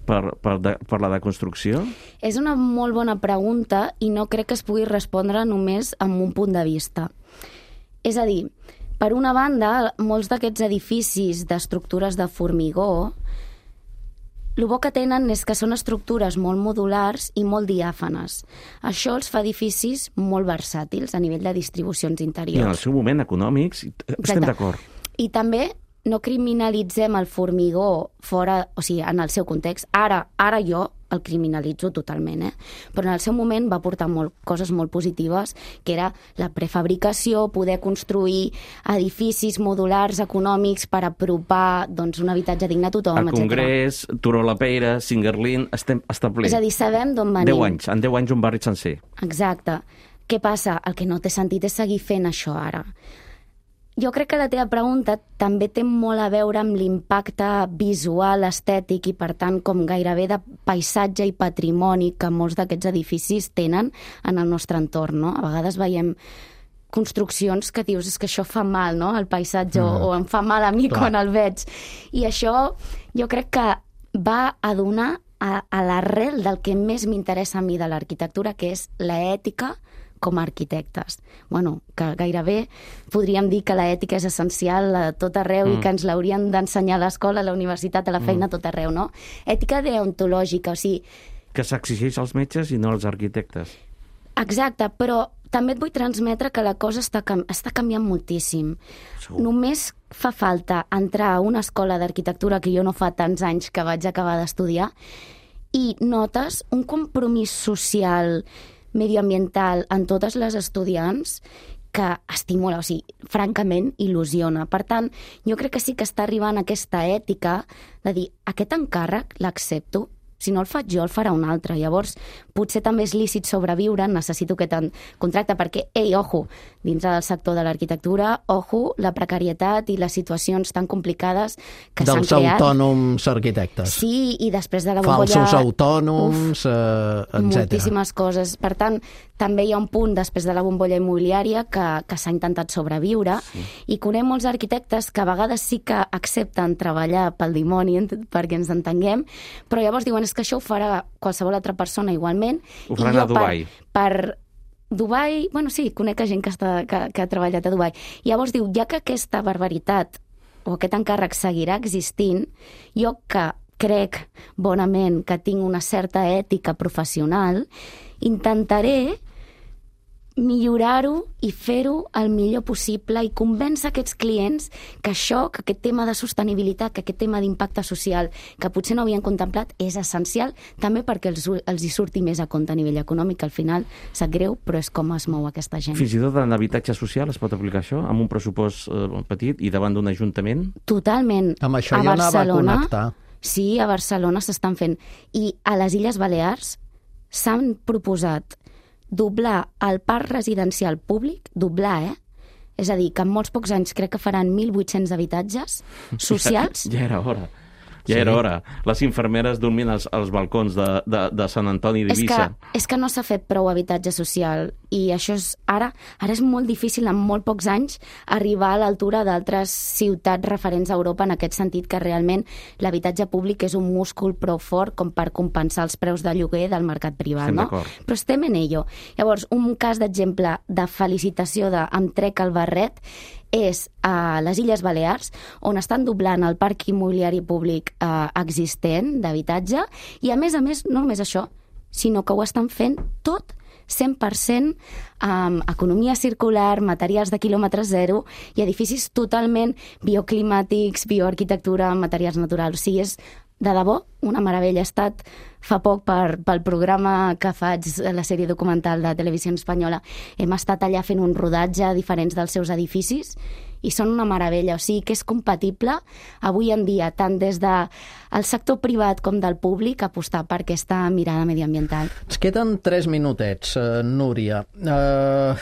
per, per, de, per la deconstrucció? És una molt bona pregunta i no crec que es pugui respondre només amb un punt de vista. És a dir, per una banda, molts d'aquests edificis d'estructures de formigó el bo que tenen és que són estructures molt modulars i molt diàfanes. Això els fa edificis molt versàtils a nivell de distribucions interiors. I en el seu moment econòmics, estem d'acord. I també no criminalitzem el formigó fora, o sigui, en el seu context. Ara, ara jo el criminalitzo totalment, eh? Però en el seu moment va portar molt, coses molt positives, que era la prefabricació, poder construir edificis modulars econòmics per apropar doncs, un habitatge digne a tothom, el etcètera. Congrés, Turó la Peira, Singerlin, estem establerts. És a dir, sabem d'on venim. deu anys, en deu anys un barri sencer. Exacte. Què passa? El que no té sentit és seguir fent això ara. Jo crec que la teva pregunta també té molt a veure amb l'impacte visual, estètic i, per tant, com gairebé de paisatge i patrimoni que molts d'aquests edificis tenen en el nostre entorn, no? A vegades veiem construccions que dius, és que això fa mal, no?, al paisatge, mm. o em fa mal a mi Clar. Quan el veig. I això jo crec que va a donar a, a l'arrel del que més m'interessa a mi de l'arquitectura, que és l'ètica com a arquitectes. Bueno, que gairebé podríem dir que l'ètica és essencial a tot arreu mm. i que ens l'haurien d'ensenyar a l'escola, a la universitat, a la feina, mm. a tot arreu, no? Ètica deontològica, o sigui... Que s'exigeix als metges i no als arquitectes. Exacte, però també et vull transmetre que la cosa està, cam està canviant moltíssim. Segur. Només fa falta entrar a una escola d'arquitectura que jo no fa tants anys que vaig acabar d'estudiar i notes un compromís social medioambiental en totes les estudiants que estimula, o sigui, francament il·lusiona. Per tant, jo crec que sí que està arribant aquesta ètica de dir, aquest encàrrec l'accepto, si no el faig jo, el farà un altre. Llavors, potser també és lícit sobreviure, necessito aquest contracte, perquè, ei, ojo, dins del sector de l'arquitectura, ojo, la precarietat i les situacions tan complicades que s'han creat. Dels autònoms arquitectes. Sí, i després de la bombolla... Falsos autònoms, uf, eh, etcètera. Moltíssimes coses. Per tant, també hi ha un punt després de la bombolla immobiliària que, que s'ha intentat sobreviure, sí. I conec molts arquitectes que a vegades sí que accepten treballar pel dimoni, perquè ens entenguem, però llavors diuen és que això ho farà qualsevol altra persona igualment. Ho faran a Dubai. Per, per Dubai, bueno, sí, conec gent que, està, que, que ha treballat a Dubai. I llavors diu, ja que aquesta barbaritat o aquest encàrrec seguirà existint, jo que crec bonament que tinc una certa ètica professional, intentaré millorar-ho i fer-ho el millor possible i convèncer aquests clients que això, que aquest tema de sostenibilitat, que aquest tema d'impacte social, que potser no havien contemplat, és essencial també perquè els, els hi surti més a compte a nivell econòmic. Al final, sap greu, però és com es mou aquesta gent. Fins i tot en habitatge social es pot aplicar això, amb un pressupost eh, petit i davant d'un ajuntament? Totalment. Amb això jo anava a connectar. Sí, a Barcelona s'estan fent. I a les Illes Balears s'han proposat doblar el parc residencial públic, doblar, eh? És a dir, que en molts pocs anys crec que faran mil vuit-cents habitatges socials. Ja, ja era hora. Ja sí. era hora. Les infermeres dormint als, als balcons de, de, de Sant Antoni d'Eivissa. És que, és que no s'ha fet prou habitatge social i això és ara, ara és molt difícil en molt pocs anys arribar a l'altura d'altres ciutats referents a Europa en aquest sentit que realment l'habitatge públic és un múscul prou fort com per compensar els preus de lloguer del mercat privat, estem no? Però estem en ello. Llavors, un cas d'exemple de felicitació de em trec el barret és a les Illes Balears, on estan doblant el parc immobiliari públic eh, existent d'habitatge, i a més a més, no només això, sinó que ho estan fent tot cent per cent amb economia circular, materials de quilòmetre zero i edificis totalment bioclimàtics, bioarquitectura, materials naturals. O sigui, és de debò una meravella. He estat fa poc per, pel programa que faig, la sèrie documental de Televisió Espanyola. Hem estat allà fent un rodatge a diferents dels seus edificis i són una meravella. O sigui que és compatible avui en dia, tant des del sector privat com del públic, apostar per aquesta mirada mediambiental. Ens queden tres minutets, uh, Núria. Uh...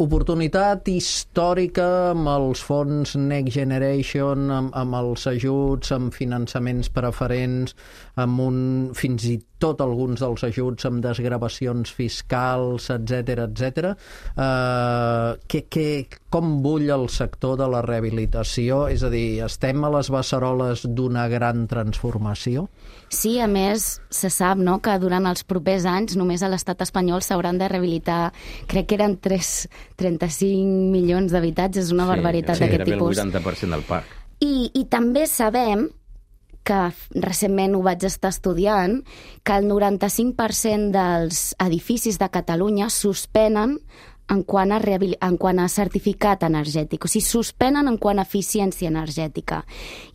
Oportunitat històrica amb els fons Next Generation, amb, amb els ajuts, amb finançaments preferents, amb un, fins i tot alguns dels ajuts amb desgravacions fiscals, etcètera, etcètera. Uh, que, que, com bull el sector de la rehabilitació? És a dir, estem a les beceroles d'una gran transformació? Sí, a més, se sap, no?, que durant els propers anys només a l'estat espanyol s'hauran de rehabilitar, crec que eren tres, trenta-cinc milions d'habitatges, una sí, barbaritat sí, d'aquest tipus. Sí, el vuitanta per cent del parc. I, I també sabem que recentment ho vaig estar estudiant, que el noranta-cinc per cent dels edificis de Catalunya suspenen en quant a, en quant a certificat energètic, o sigui, suspenen en quant a eficiència energètica.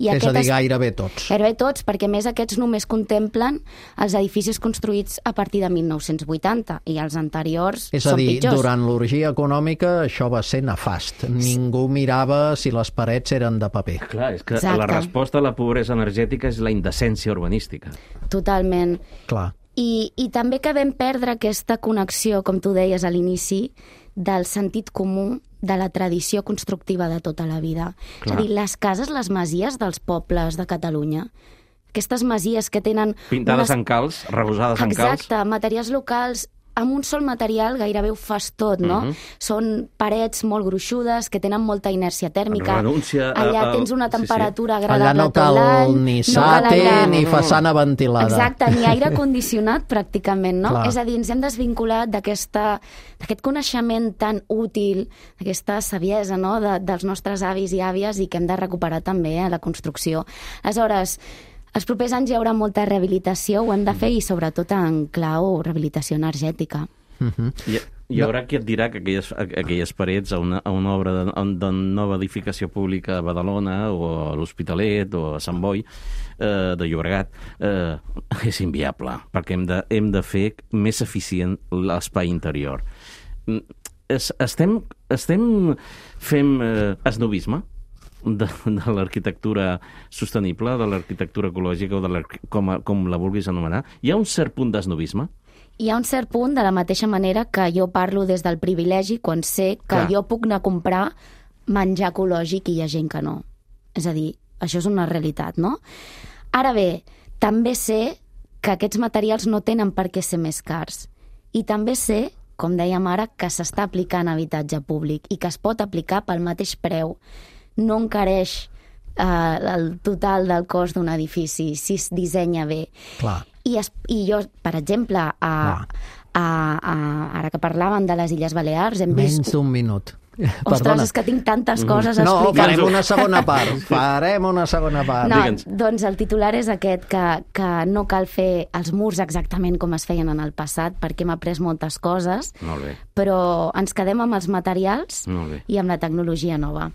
I és a dir, gairebé tots. Gairebé tots, perquè més aquests només contemplen els edificis construïts a partir de mil nou-cents vuitanta i els anteriors és a són dir, pitjors. Durant l'orgia econòmica això va ser nefast. Ningú mirava si les parets eren de paper. Clar, és que Exacte. La resposta a la pobresa energètica és la indecència urbanística. Totalment. Clar. I, I també que vam perdre aquesta connexió, com tu deies a l'inici, del sentit comú de la tradició constructiva de tota la vida. Clar. És a dir, les cases, les masies dels pobles de Catalunya, aquestes masies que tenen... Pintades unes... en calç, rebosades en calç. Exacte, materials locals... amb un sol material gairebé ho fas tot, no? Uh-huh. Són parets molt gruixudes, que tenen molta inèrcia tèrmica. Renúncia a, Allà a, tens una temperatura sí, sí. agradable allà no tot cal l'any. ni no sate cal ni façana ventilada. Exacte, ni aire condicionat pràcticament, no? Clar. És a dir, ens hem desvinculat d'aquest coneixement tan útil, d'aquesta saviesa, no?, de, dels nostres avis i àvies i que hem de recuperar també a la construcció. Aleshores, els propers anys hi haurà molta rehabilitació, ho hem de fer, i sobretot en clau rehabilitació energètica. Uh-huh. Hi, hi haurà qui et dirà que aquelles, aquelles parets a una, a una obra de, de nova edificació pública a Badalona o a l'Hospitalet o a Sant Boi eh, de Llobregat eh, és inviable, perquè hem de, hem de fer més eficient l'espai interior. Es, estem, estem fent eh, esnovisme de, de l'arquitectura sostenible, de l'arquitectura ecològica o de com, a, com la vulguis anomenar. Hi ha un cert punt d'esnovisme? Hi ha un cert punt, de la mateixa manera que jo parlo des del privilegi quan sé que Clar. jo puc anar a comprar menjar ecològic i hi ha gent que no. És a dir, això és una realitat, no? Ara bé, també sé que aquests materials no tenen per què ser més cars. I també sé, com dèiem ara, que s'està aplicant a habitatge públic i que es pot aplicar pel mateix preu. No encareix eh, el total del cost d'un edifici si es dissenya bé. Clar. I, es, I jo, per exemple, a, a, a, ara que parlàvem de les Illes Balears, hem Menys vist... Menys d'un minut. Ostres, Perdona. és que tinc tantes coses a no, explicar. farem una segona part. Farem una segona part. No, Digue'ns. doncs el titular és aquest, que, que no cal fer els murs exactament com es feien en el passat, perquè hem après moltes coses, Molt bé. però ens quedem amb els materials Molt bé. i amb la tecnologia nova.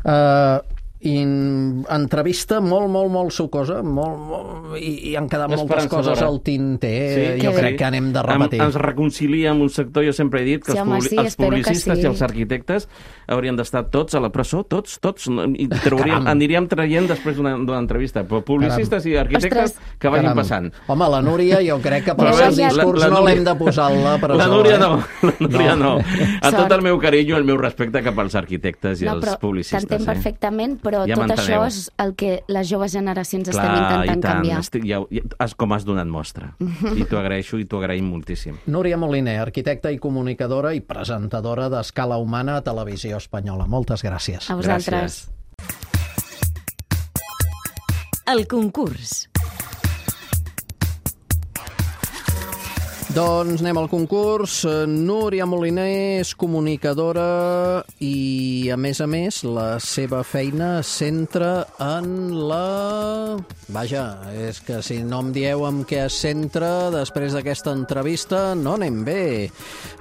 Uh, in, entrevista molt, molt, molt sucosa, molt, molt, i, i han quedat moltes coses al tinter. Sí, jo que crec bé. que anem de repetir. Em, ens reconcilia amb un sector, jo sempre he dit que Sí, els, home, publi sí, els espero que publicistes sí. i els arquitectes haurien d'estar tots a la presó, tots, tots, i trauríem, Caram. aniríem traient després d'una entrevista, però publicistes Caram. i arquitectes Ostres. que vagin Caram. passant. Home, la Núria, jo crec que per Però el seu ja- discurs la- la no Núria- l'hem de posar a la presó. La Núria eh? no, la Núria no. A tot Sort. el meu carinyo, el meu respecte cap als arquitectes i No, als però publicistes. t'entenc eh? perfectament, però Ja tot m'enteneu. això és el que les joves generacions estem Clar, intentant i tant, canviar. estic, ja, ja, has, com has donat mostra. I t'ho agraeixo i t'ho agraïm moltíssim. Núria Moliner, arquitecta i comunicadora i presentadora d'Escala Humana a Televisió Espanyola. Moltes gràcies. A vosaltres. El concurs. Doncs anem al concurs. Núria Moliner és comunicadora i, a més a més, la seva feina es centra en la... Vaja, és que si no em dieu amb què es centra després d'aquesta entrevista, no anem bé.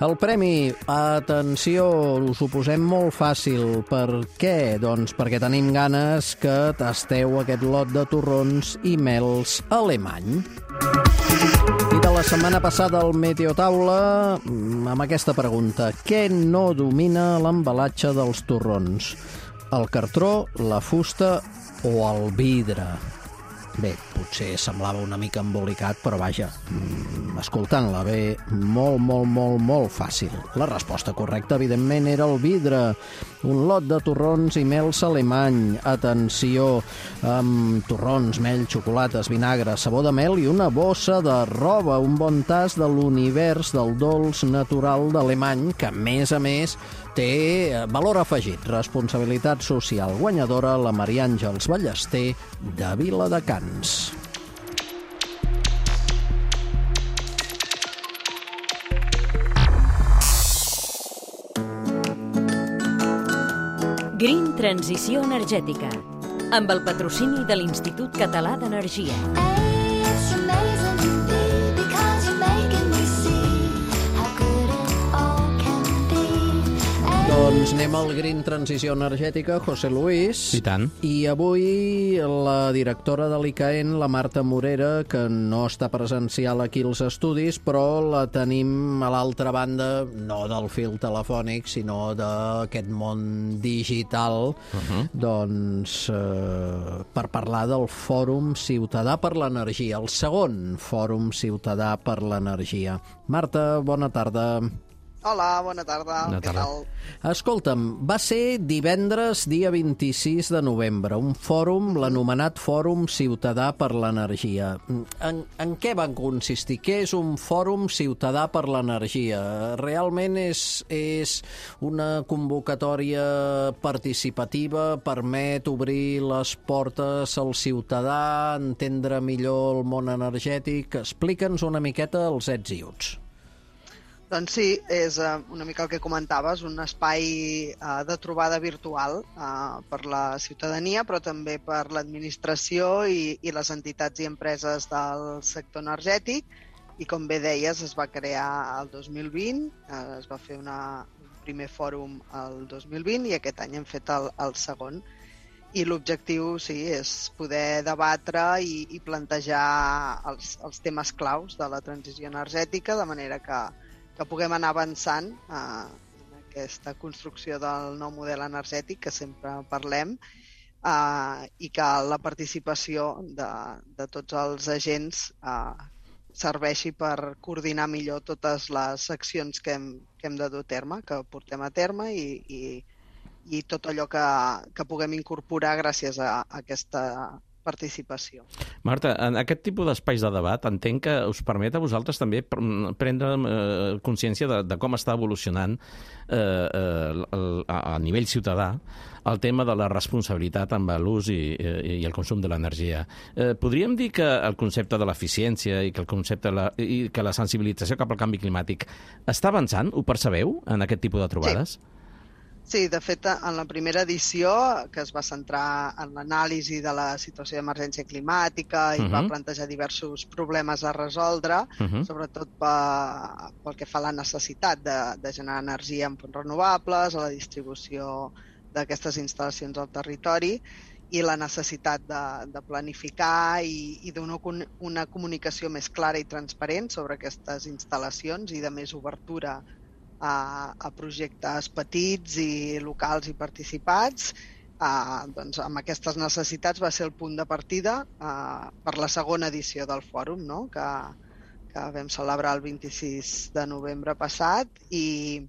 El premi, atenció, us ho posem molt fàcil. Per què? Doncs perquè tenim ganes que tasteu aquest lot de torrons i mels alemany. I de la setmana passada al Meteotaula amb aquesta pregunta: què no domina l'embalatge dels torrons? El cartró, la fusta o el vidre? Bé, potser semblava una mica embolicat, però vaja, escoltant-la bé, molt, molt, molt, molt fàcil. La resposta correcta, evidentment, era el vidre. Un lot de torrons i mels alemany. Atenció, amb torrons, mel, xocolates, vinagre, sabó de mel i una bossa de roba. Un bon tas de l'univers del dolç natural d'alemany, que, a més a més, té valor afegit. Responsabilitat social guanyadora, la Maria Àngels Ballester, de Viladecans. Green Transició Energètica. amb el patrocini de l'Institut Català d'Energia. Doncs anem al Green Transició Energètica, José Luis. I tant. I avui la directora de l'I C A E N, la Marta Morera, que no està presencial aquí als estudis, però la tenim a l'altra banda, no del fil telefònic, sinó d'aquest món digital, uh-huh. doncs eh, per parlar del Fòrum Ciutadà per l'Energia, el segon Fòrum Ciutadà per l'Energia. Marta, bona tarda. Hola, bona tarda. Bona tarda. Què tal? Escolta'm, va ser divendres, dia vint-i-sis de novembre, un fòrum, l'anomenat Fòrum Ciutadà per l'Energia. En, en què van consistir? Què és un Fòrum Ciutadà per l'Energia? Realment és, és una convocatòria participativa, permet obrir les portes al ciutadà, entendre millor el món energètic? Explica'ns una miqueta els ets i uts. Doncs sí, és uh, una mica el que comentaves, un espai uh, de trobada virtual uh, per la ciutadania, però també per l'administració i, i les entitats i empreses del sector energètic. I com bé deies, es va crear el dos mil vint, uh, es va fer una, un primer fòrum el dos mil vint i aquest any hem fet el, el segon. I l'objectiu, sí, és poder debatre i, i plantejar els, els temes claus de la transició energètica, de manera que que puguem anar avançant eh, en aquesta construcció del nou model energètic que sempre parlem eh, i que la participació de, de tots els agents eh, serveixi per coordinar millor totes les accions que hem, que hem de dur a terme, que portem a terme i, i, i tot allò que, que puguem incorporar gràcies a, a aquesta participació. Marta, en aquest tipus d'espais de debat entenc que us permet a vosaltres també prendre eh, consciència de, de com està evolucionant eh, eh, el, a nivell ciutadà el tema de la responsabilitat amb l'ús i, i, i el consum de l'energia. Eh, podríem dir que el concepte de l'eficiència i que el concepte de la, i que la sensibilització cap al canvi climàtic està avançant? Ho percebeu en aquest tipus de trobades? Sí. Sí, de fet, en la primera edició, que es va centrar en l'anàlisi de la situació d'emergència climàtica i uh-huh. va plantejar diversos problemes a resoldre, uh-huh. sobretot pe, pel que fa a la necessitat de, de generar energia en fonts renovables, a la distribució d'aquestes instal·lacions al territori i la necessitat de, de planificar i, i d'una una comunicació més clara i transparent sobre aquestes instal·lacions i de més obertura A, a projectes petits i locals i participats. Uh, doncs amb aquestes necessitats va ser el punt de partida uh, per la segona edició del fòrum, no? que, que vam celebrar el vint-i-sis de novembre passat i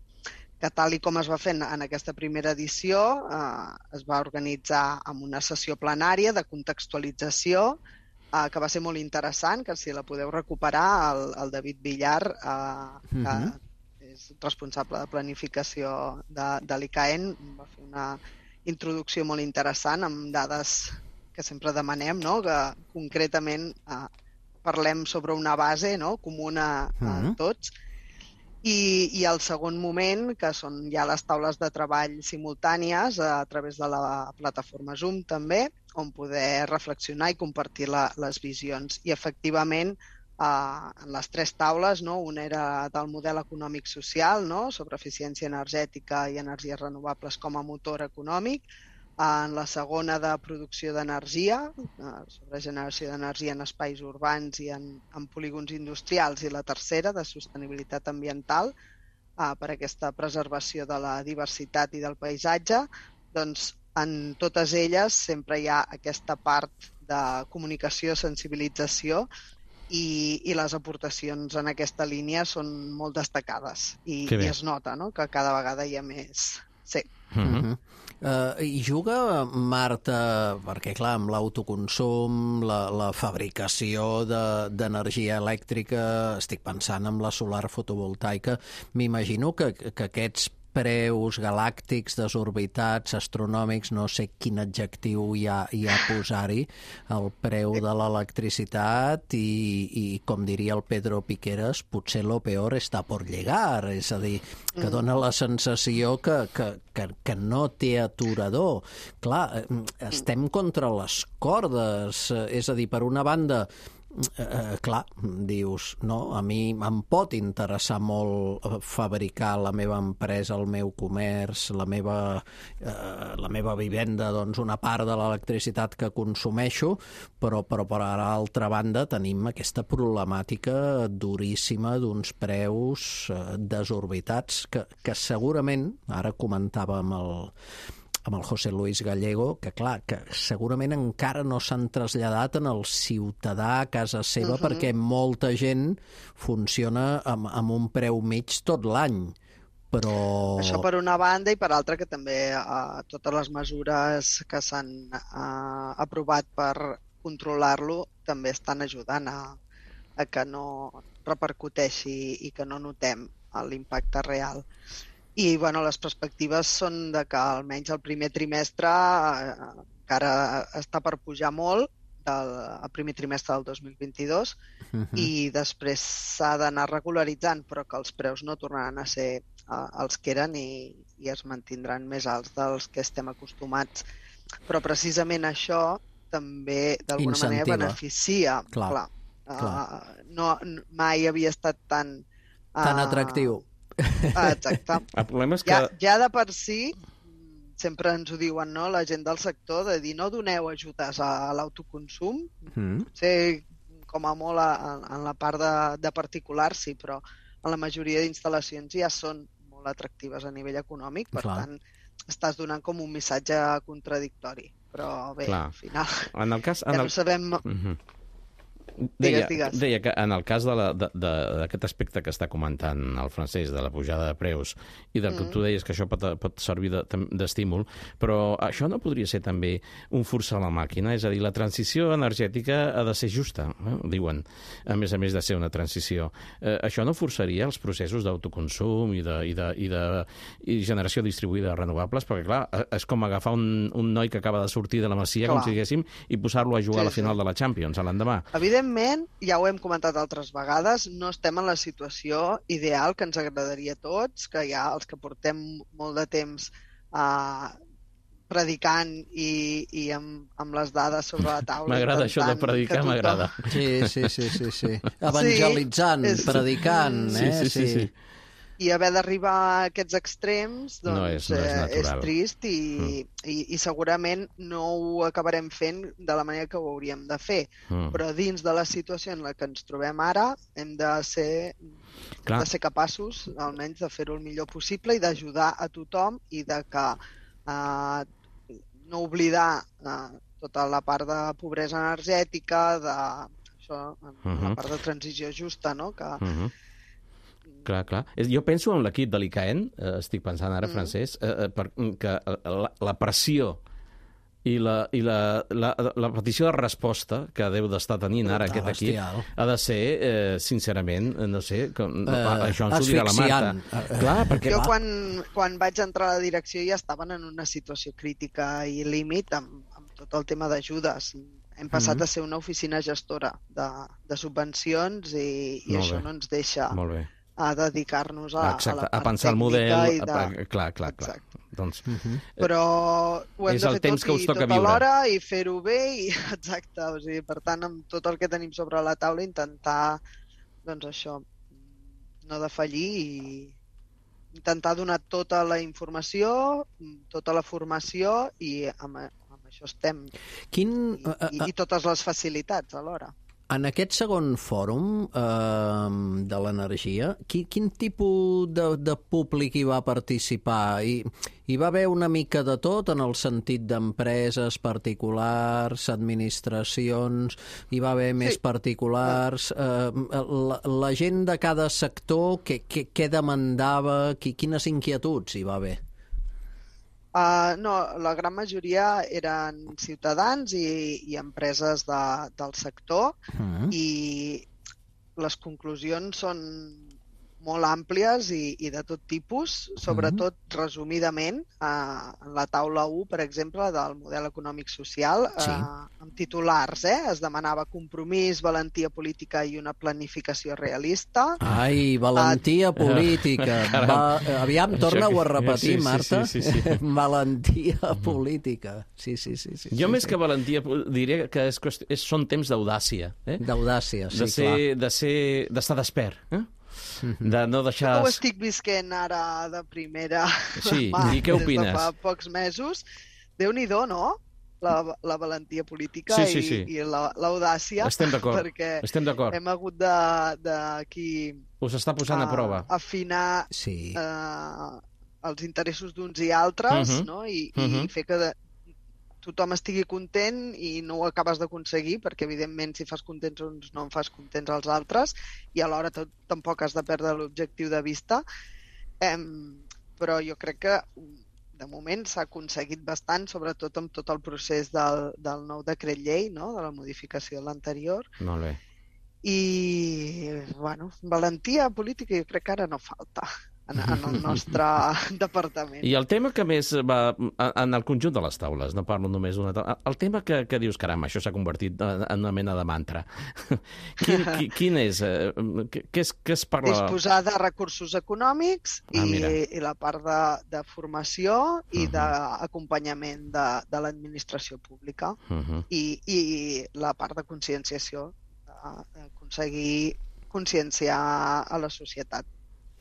que tal i com es va fer en aquesta primera edició uh, es va organitzar amb una sessió plenària de contextualització uh, que va ser molt interessant, que si la podeu recuperar, el, el David Villar, uh, que uh-huh. és responsable de planificació de, de l'I C A E N, va fer una introducció molt interessant amb dades que sempre demanem, no? Que concretament eh, parlem sobre una base, no? comuna a uh-huh. tots. I, I el segon moment, que són ja les taules de treball simultànies a través de la plataforma Zoom també, on poder reflexionar i compartir la, les visions. I efectivament, Uh, en les tres taules, no? Una era del model econòmic social, no? Sobre eficiència energètica i energies renovables com a motor econòmic, uh, en la segona de producció d'energia, uh, sobre generació d'energia en espais urbans i en, en polígons industrials, i la tercera de sostenibilitat ambiental, uh, per aquesta preservació de la diversitat i del paisatge. Doncs en totes elles sempre hi ha aquesta part de comunicació, sensibilització, I, i les aportacions en aquesta línia són molt destacades i, i es nota, no? Que cada vegada hi ha més... Sí. Uh-huh. Uh, I juga, Marta, perquè clar, amb l'autoconsum, la, la fabricació d'energia de, elèctrica, estic pensant en la solar fotovoltaica, m'imagino que, que aquests preus galàctics, desorbitats, astronòmics, no sé quin adjectiu hi ha, hi ha a posar-hi, el preu de l'electricitat i, i, com diria el Pedro Piqueras, potser lo peor està por llegar, és a dir, que dona la sensació que, que, que, que no té aturador. Clar, estem contra les cordes, és a dir, per una banda, Eh, clar, dius, no, a mi em pot interessar molt fabricar la meva empresa, el meu comerç, la meva, eh, la meva vivenda, doncs una part de l'electricitat que consumeixo, però, però per altra banda tenim aquesta problemàtica duríssima d'uns preus eh, desorbitats que, que segurament, ara comentàvem el amb el José Luis Gallego, que clar, que segurament encara no s'han traslladat en el ciutadà a casa seva, uh-huh. perquè molta gent funciona amb, amb un preu mig tot l'any. Però... Això per una banda, i per altra que també eh, totes les mesures que s'han eh, aprovat per controlar-lo també estan ajudant a, a que no repercuteixi i que no notem l'impacte real. I bueno, les perspectives són de que almenys el primer trimestre eh, encara està per pujar molt, del el primer trimestre del dos mil vint-i-dos, uh-huh. i després s'ha d'anar regularitzant, però que els preus no tornaran a ser eh, els que eren i, i es mantindran més alts dels que estem acostumats. Però precisament això també d'alguna manera beneficia. Clar, clar. clar. Uh, no, mai havia estat tan... Uh, tan atractiu. Exacte. El problema és que... Ja, ja de per si, sempre ens ho diuen, no?, la gent del sector, de dir no doneu ajudes a l'autoconsum, mm. potser com a molt a, en la part de, de particulars, sí, però en la majoria d'instal·lacions ja són molt atractives a nivell econòmic, per Clar. tant, estàs donant com un missatge contradictori. Però bé, Clar. al final, en el cas, en ja el... no sabem... Mm-hmm. Deia, deia, deia que en el cas d'aquest aspecte que està comentant el Francesc, de la pujada de preus, i del que mm. tu deies que això pot, pot servir d'estímul, de, però això no podria ser també un forçar la màquina? És a dir, la transició energètica ha de ser justa, eh? diuen, a més a més de ser una transició. Eh, això no forçaria els processos d'autoconsum i, de, i, de, i de i generació distribuïda de renovables? Perquè, clar, és com agafar un, un noi que acaba de sortir de la Masia, clar. com si diguéssim, i posar-lo a jugar sí, a la final sí. de la Champions, a l'endemà. Evidentment, ja ho hem comentat altres vegades, no estem en la situació ideal que ens agradaria a tots, que hi ha els que portem molt de temps eh, predicant i, i amb, amb les dades sobre la taula. M'agrada això de predicar, tothom... m'agrada. Sí, sí, sí, sí, sí. Evangelitzant, sí, és... predicant, eh? Sí, sí, sí. sí. sí. I haver d'arribar a aquests extrems doncs, no és, no és, eh, és trist i, mm. i, i segurament no ho acabarem fent de la manera que ho hauríem de fer. Mm. Però dins de la situació en la que ens trobem ara hem de ser, de ser capaços almenys de fer-ho el millor possible i d'ajudar a tothom i de que eh, no oblidar eh, tota la part de pobresa energètica, de això, mm-hmm. la part de transició justa, no? que mm-hmm. Clar, clar. Jo penso en l'equip de l'I C A E N, eh, estic pensant ara, mm. Francesc, eh, per, que la, la pressió i, la, i la, la, la petició de resposta que deu d'estar tenint ara aquest equip ha de ser, eh, sincerament, no sé, com, uh, això ens ho dirà la Marta. Uh, clar, perquè jo va... quan, quan vaig entrar a la direcció ja estaven en una situació crítica i límit amb, amb tot el tema d'ajudes. Hem passat mm-hmm. a ser una oficina gestora de, de subvencions i, i això bé. no ens deixa... Molt bé. a dedicar-nos a, Exacte, a la part a pensar el model, i de... a, clar, clar, clar. Doncs, uh-huh. Però ho hem és de el fer temps tot que us i toca tot viure. alhora i fer-ho bé i exacte, o sigui, per tant amb tot el que tenim sobre la taula intentar doncs això, no defallir i intentar donar tota la informació, tota la formació i amb, amb això estem. Quin... I, i, i totes les facilitats alhora. En aquest segon fòrum eh, de l'energia, qui, quin tipus de, de públic hi va participar? Hi, hi va haver una mica de tot en el sentit d'empreses particulars, administracions, hi va haver sí. més particulars, eh, la, la gent de cada sector, què, què, què demandava, qui, quines inquietuds hi va haver? Uh, no, la gran majoria eren ciutadans i, i empreses de, del sector uh-huh. i les conclusions són molt àmplies i, i de tot tipus, sobretot mm-hmm. resumidament, eh, en la taula u, per exemple, del model econòmic social, sí. eh, amb titulars, eh? Es demanava compromís, valentia política i una planificació realista. Ai, valentia uh, política. Va, aviam, torna-ho a repetir, sí, Marta. Sí, sí, sí, sí. Valentia política. Sí, sí, sí. sí jo sí, més sí. que valentia diria que és, és, són temps d'audàcia. Eh? D'audàcia, sí, de ser, clar. De ser, d'estar despert, eh? De no deixar... Jo ho estic visquent ara de primera sí, mà, i què opines? Des de fa pocs mesos. Déu-n'hi-do, no? La, la valentia política sí, sí, sí. i, i l'audàcia. Estem d'acord, perquè estem d'acord. hem hagut de, de aquí... Us està posant a, a prova. Afinar sí. eh, els interessos d'uns i altres, uh-huh. no? I, uh-huh. i fer que... De, tothom estigui content i no ho acabes d'aconseguir, perquè evidentment si fas contents uns no en fas contents els altres, i alhora tampoc has de perdre l'objectiu de vista. Eh, però jo crec que de moment s'ha aconseguit bastant, sobretot amb tot el procés del, del nou decret llei, no? De la modificació de l'anterior. Molt bé. I, bueno, valentia política jo crec que ara no falta en, en el nostre departament. I el tema que més va en el conjunt de les taules, no parlo només d'una taula, el tema que, que dius, caram, això s'ha convertit en una mena de mantra. Quin, qui, quin és? Què és, què es parla? Disposar de recursos econòmics ah, i, i la part de, de formació i uh -huh. d'acompanyament de, de l'administració pública uh -huh. I, i la part de conscienciació, d'aconseguir conscienciar a la societat.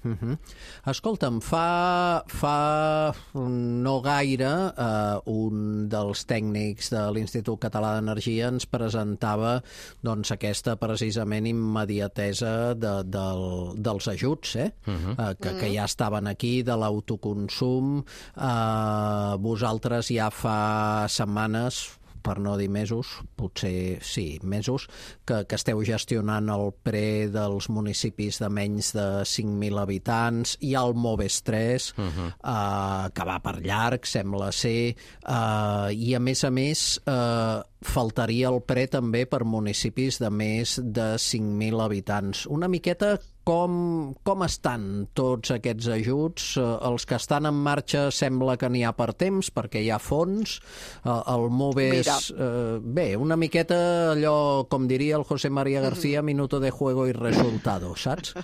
Uh -huh. Escolta'm, fa, fa no gaire eh, un dels tècnics de l'Institut Català d'Energia ens presentava doncs, aquesta precisament immediatesa de, del, dels ajuts eh? Uh -huh. eh, que, que ja estaven aquí, de l'autoconsum. Eh, vosaltres ja fa setmanes, per no dir mesos, potser sí, mesos, que, que esteu gestionant el pre dels municipis de menys de cinc mil habitants. Hi ha el Moves tres, uh-huh. eh, que va per llarg, sembla ser, eh, i a més a més eh, faltaria el pre també per municipis de més de cinc mil habitants. Una miqueta com, com estan tots aquests ajuts? Els que estan en marxa sembla que n'hi ha per temps, perquè hi ha fons. El Moves... Eh, bé, una miqueta allò, com diria el José María García, minuto de juego y resultado, saps?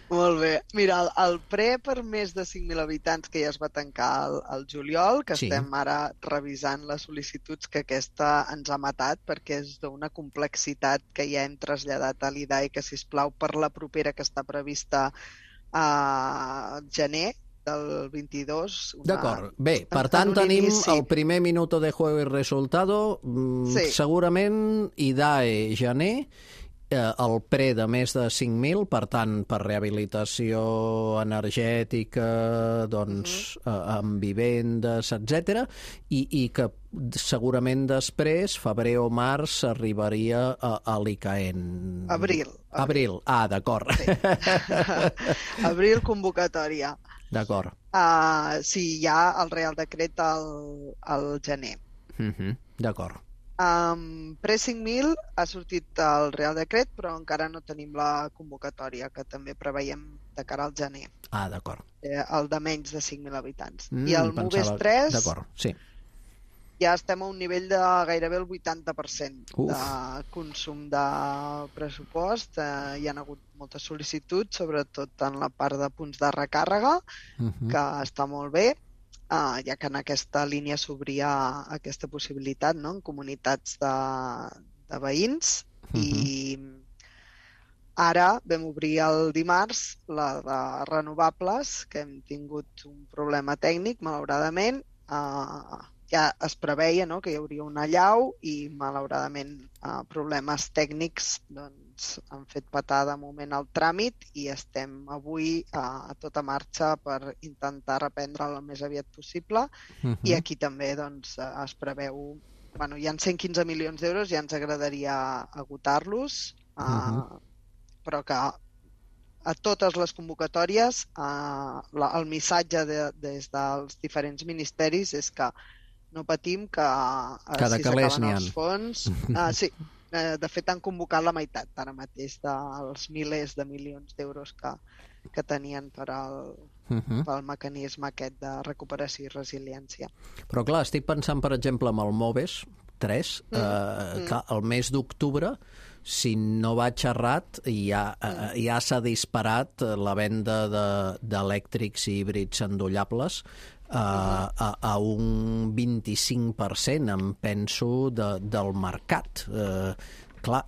Molt bé. Mira, el, el pre per més de cinc mil habitants que ja es va tancar al, al juliol, que sí. Estem ara revisant les sol·licituds, que aquesta ens ha matat perquè és d'una complexitat que ja hem traslladat a l'I D A I, que, sisplau, per la propera, que està prevista a gener del vint-i-dos. Una... D'acord. Bé, per tant tenim inici. El primer minuto de juego i resultado, sí. Segurament I D A I gener, el pre de més de cinc mil, per tant, per rehabilitació energètica, doncs, uh -huh. amb vivendes, etcètera, i, i que segurament després, febrer o març, arribaria a, a l'I C A E N. Abril. Abril, ah, d'acord. Sí. Abril, convocatòria. D'acord. Uh, sí, hi ha el Real Decret al, al gener. Uh -huh. D'acord. Um, pre cinc mil ha sortit el Real Decret, però encara no tenim la convocatòria, que també preveiem de cara al gener. Ah, d'acord. Eh, el de menys de cinc mil habitants. Mm, I el Moves tres... D'acord, sí. Ja estem a un nivell de gairebé el vuitanta per cent Uf. De consum de pressupost. Eh, hi ha hagut moltes sol·licituds, sobretot en la part de punts de recàrrega, uh-huh. que està molt bé, eh, ja que en aquesta línia s'obria aquesta possibilitat, no?, en comunitats de, de veïns. Uh-huh. I ara vam obrir el dimarts la de renovables, que hem tingut un problema tècnic, malauradament. Eh, ja es preveia, no?, que hi hauria una allau i, malauradament, eh, problemes tècnics doncs, han fet patar de moment el tràmit i estem avui eh, a tota marxa per intentar reprendre el més aviat possible. Uh-huh. I aquí també doncs, es preveu... Bueno, hi ha cent quinze milions d'euros, ja ens agradaria agotar-los, eh, uh-huh. però que a totes les convocatòries eh, la, el missatge de, des dels diferents ministeris és que no patim, que Cada si calés s'acaben els fons... Uh, sí, de fet, han convocat la meitat ara mateix dels milers de milions d'euros que, que tenien per al, uh-huh. pel mecanisme aquest de recuperació i resiliència. Però clar, estic pensant, per exemple, amb el Moves tres, mm. eh, que el mes d'octubre, si no vaig errat, ja, eh, ja s'ha disparat la venda d'elèctrics i híbrids endollables Uh, a, a un vint-i-cinc per cent, em penso, de, del mercat. Uh, clar,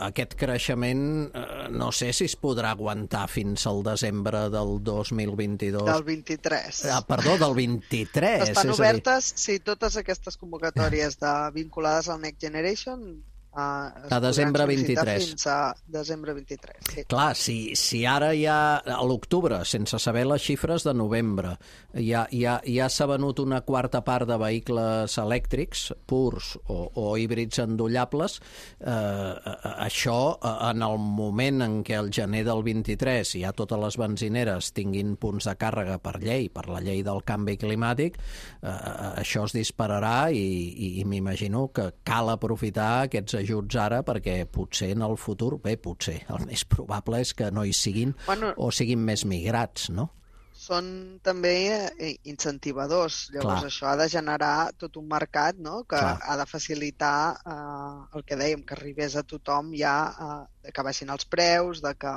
aquest creixement uh, no sé si es podrà aguantar fins al desembre del dos mil vint-i-dos. Del vint-i-tres. Ah, perdó, del vint-i-tres. Estan és obertes, dir... sí, totes aquestes convocatòries de, vinculades al Next Generation Uh, a desembre vint-i-tres. Fins a desembre vint-i-tres, sí. Clar, si, si ara ja a l'octubre, sense saber les xifres de novembre, ja, ja, ja s'ha venut una quarta part de vehicles elèctrics purs o, o híbrids endollables, eh, això en el moment en què el gener del vint-i-tres ja totes les benzineres tinguin punts de càrrega per llei, per la llei del canvi climàtic, eh, això es dispararà i, i, i m'imagino que cal aprofitar aquests ajuts ara perquè potser en el futur, bé, potser, el més probable és que no hi siguin bueno, o siguin més migrats, no? Són també incentivadors, llavors Clar. Això ha de generar tot un mercat, no?, que Clar. Ha de facilitar eh, el que dèiem, que arribés a tothom ja, eh, que baixin els preus, de que...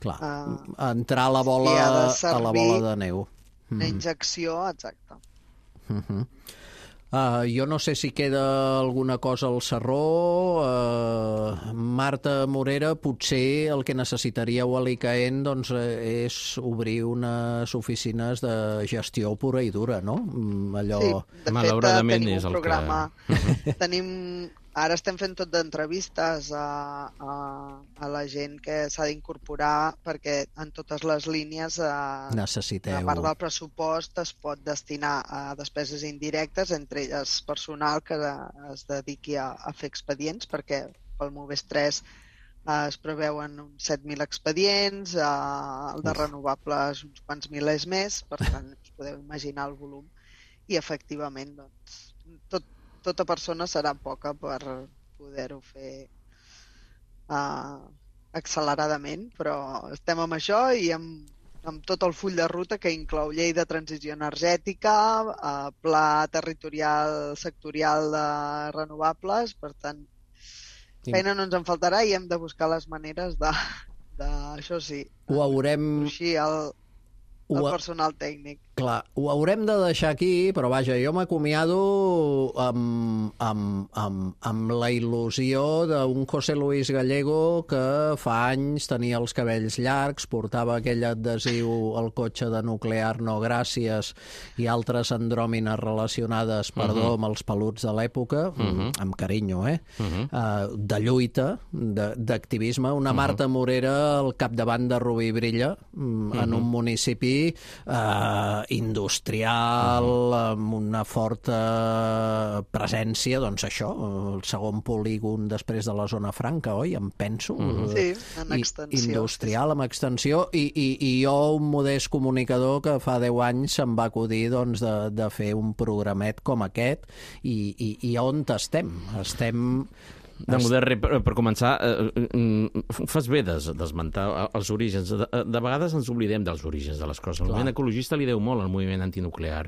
Clar, eh, entrar a la bola, a la bola de neu. Una injecció, exacte. Mhm. Uh, jo no sé si queda alguna cosa al Sarró. Uh, Marta Morera, potser el que necessitaríeu a l'I C A E N doncs, és obrir unes oficines de gestió pura i dura, no? Allò... Sí, de malauradament fet, tenim és un el programa... que... tenim... Ara estem fent tot d'entrevistes a, a, a la gent que s'ha d'incorporar perquè en totes les línies a, necessiteu. A part del pressupost es pot destinar a despeses indirectes, entre elles personal que es dediqui a, a fer expedients, perquè pel Moves tres eh, es preveuen uns set mil expedients, eh, el de renovables uns quants milers més, per tant us podeu imaginar el volum. I efectivament, doncs, tot tota persona serà poca per poder-ho fer uh, acceleradament, però estem amb això i amb, amb tot el full de ruta que inclou llei de transició energètica, uh, pla territorial sectorial de renovables, per tant, feina no ens en faltarà i hem de buscar les maneres de, de això sí, ho haurem... així el, el personal tècnic. Clar, ho haurem de deixar aquí, però vaja, jo m'acomiado amb, amb, amb, amb la il·lusió d'un José Luis Gallego que fa anys tenia els cabells llargs, portava aquell adhesiu al cotxe de nuclear no gràcies i altres andròmines relacionades, perdó, uh-huh. amb els peluts de l'època, uh-huh. amb carinyo, eh? Uh-huh. Uh, de lluita, d'activisme. Una uh-huh. Marta Morera al capdavant de Rubí Brilla, uh-huh. en un municipi eh, industrial, amb una forta presència, doncs això, el segon polígon després de la zona franca, oi? Em penso. Mm-hmm. Sí, en extensió. Industrial, amb extensió, i, i, i jo, un modest comunicador que fa deu anys se'm va acudir doncs, de, de fer un programet com aquest, i, i, i on estem? Estem... De model, per, per començar, eh, fas bé d'esmentar els orígens. De, de vegades ens oblidem dels orígens de les coses. El moviment ecologista li deu molt al moviment antinuclear.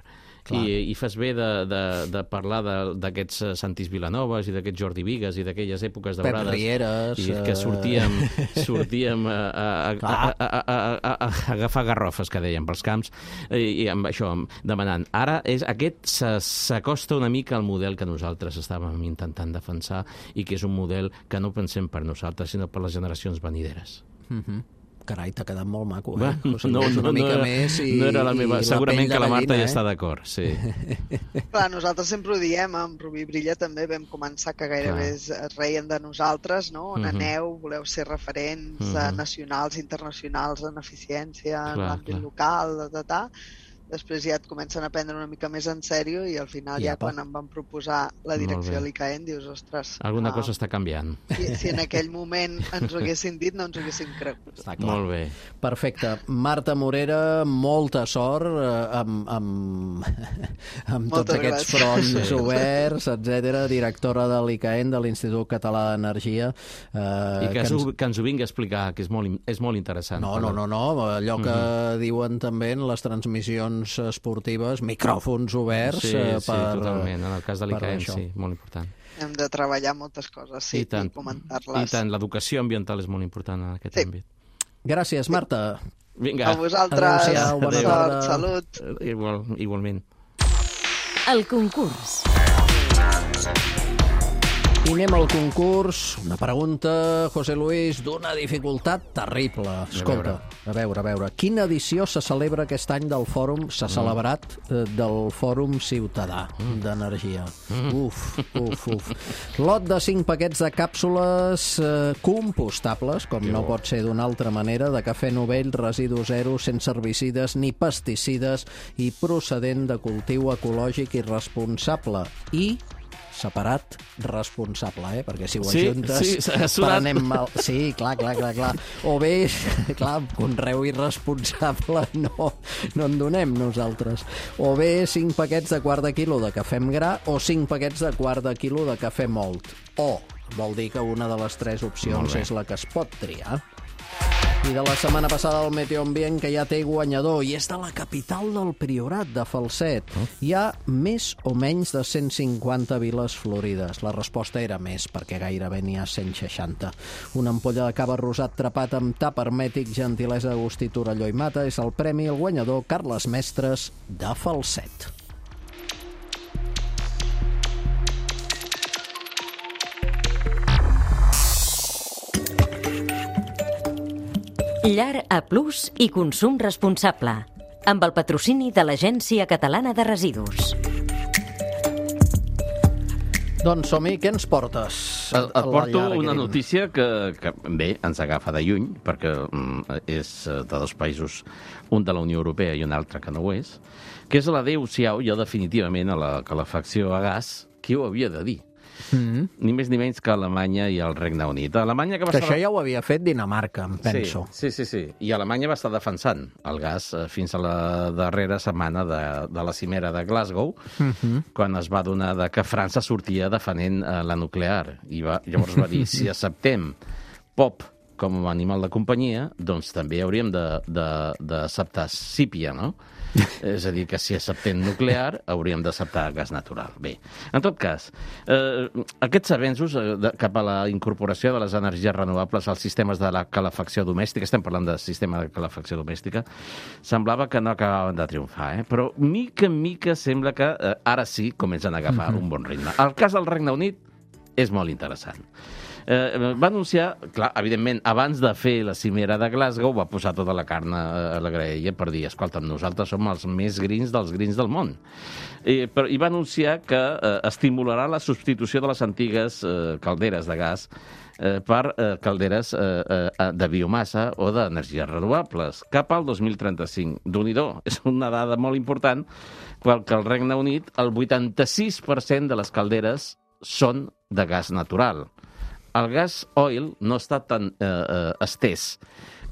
I, i fas bé de, de, de parlar d'aquests Santis Vilanovas i d'aquests Jordi Vigues i d'aquelles èpoques daurades. Pep Rieres. I que sortíem, sortíem a, a, a, a, a, a, a agafar garrofes, que dèiem, pels camps, i, i amb això, demanant. Ara és, aquest s'acosta una mica al model que nosaltres estàvem intentant defensar i que és un model que no pensem per nosaltres, sinó per les generacions venideres. Mhm. Carai, t'ha quedat molt maco, eh? Bueno, o sigui, no, no, una mica no, més i, no era la meva. Segurament la que la Marta ja eh? està d'acord, sí. Clar, nosaltres sempre ho diem, amb Rubí Brilla també vam començar que gairebé es, es reien de nosaltres, no? On uh-huh. aneu, voleu ser referents uh-huh. nacionals, internacionals en eficiència, clar, en l'àmbit local, ta, ta, ta. després ja et comencen a prendre una mica més en sèrio i al final ja, ja quan em van proposar la direcció de l'I C A E N dius, ostres... Alguna ah, cosa està canviant. Si, si en aquell moment ens ho haguessin dit, no ens ho haguessin cregut. Molt bé. Perfecte. Marta Morera, molta sort eh, amb, amb, amb tots aquests fronts sí. oberts, etcètera, directora de l'I C A E N, de l'Institut Català d'Energia. Eh, I que, que, ens... que ens ho vingui a explicar, que és molt, és molt interessant. No, no, no, no. Allò que mm-hmm. diuen també en les transmissions esportives, micròfons oberts sí, eh, per... Sí, totalment. En el cas de l'I C A E N, sí, molt important. Hem de treballar moltes coses, sí, i, tant, i comentar-les. I tant, l'educació ambiental és molt important en aquest sí. àmbit. Gràcies, Marta. Vinga. A vosaltres. Adéu-siau, bona Adéu. tarda. Salut. Igual, igualment. El concurs. I anem al concurs. Una pregunta, José Luis, d'una dificultat terrible. Escolta, a veure, a veure. Quina edició se celebra aquest any del Fòrum, s'ha mm. celebrat eh, del Fòrum Ciutadà mm. d'Energia? Mm. Uf, uf, uf. Lot de cinc paquets de càpsules eh, compostables, com no pot ser d'una altra manera, de cafè novell, residu zero, sense herbicides ni pesticides i procedent de cultiu ecològic i responsable. I... separat, responsable, eh? Perquè si ho sí, ajuntes... Sí, prenem mal... Sí, clar, clar, clar, clar. O bé, clar, conreu irresponsable no, no en donem nosaltres. O bé cinc paquets de quart de quilo de cafè amb gra o cinc paquets de quart de quilo de cafè mòlt. O vol dir que una de les tres opcions és la que es pot triar. I de la setmana passada el Meteo Ambient, que ja té guanyador, i és de la capital del Priorat, de Falset. Hi ha més o menys de cent cinquanta viles florides. La resposta era més, perquè gairebé n'hi ha cent seixanta. Una ampolla de cava rosat trapat amb tap hermètic, gentilesa Agustí Torelló i Mata, és el premi al guanyador Carles Mestres, de Falset. Llar A Plus i consum responsable, amb el patrocini de l'Agència Catalana de Residus. Doncs som-hi, què ens portes? Et, et porto una notícia que, que, bé, ens agafa de lluny, perquè mm, és de dos països, un de la Unió Europea i un altre que no ho és, que és l'adéu-siau ja definitivament a la calefacció a gas. Qui ho havia de dir? Mm-hmm. Ni més ni menys que Alemanya i el Regne Unit. Alemanya que va que estar... això ja ho havia fet Dinamarca, em penso. Sí, sí, sí, sí. I Alemanya va estar defensant el gas fins a la darrera setmana de, de la cimera de Glasgow, mm-hmm. quan es va donar de que França sortia defenent uh, la nuclear. I va, llavors va dir, si acceptem pop com a animal de companyia, doncs també hauríem d'acceptar sípia, no? És a dir, que si acceptem nuclear, hauríem d'acceptar gas natural. Bé, en tot cas, eh, aquests avenços eh, de, cap a la incorporació de les energies renovables als sistemes de la calefacció domèstica, estem parlant de sistema de calefacció domèstica, semblava que no acabaven de triomfar, eh? Però mica en mica sembla que eh, ara sí comencen a agafar mm-hmm. un bon ritme. El cas del Regne Unit és molt interessant. Eh, va anunciar, clar, evidentment, abans de fer la cimera de Glasgow, va posar tota la carn a la graella per dir, escolta'm, nosaltres som els més grins dels grins del món. I, però, i va anunciar que eh, estimularà la substitució de les antigues eh, calderes de gas eh, per eh, calderes eh, eh, de biomassa o d'energies renovables, cap al dos mil trenta-cinc. Déu-n'hi-do, és una dada molt important, perquè al Regne Unit el vuitanta-sis per cent de les calderes són de gas natural. El gas oil no està tan eh, eh, estès,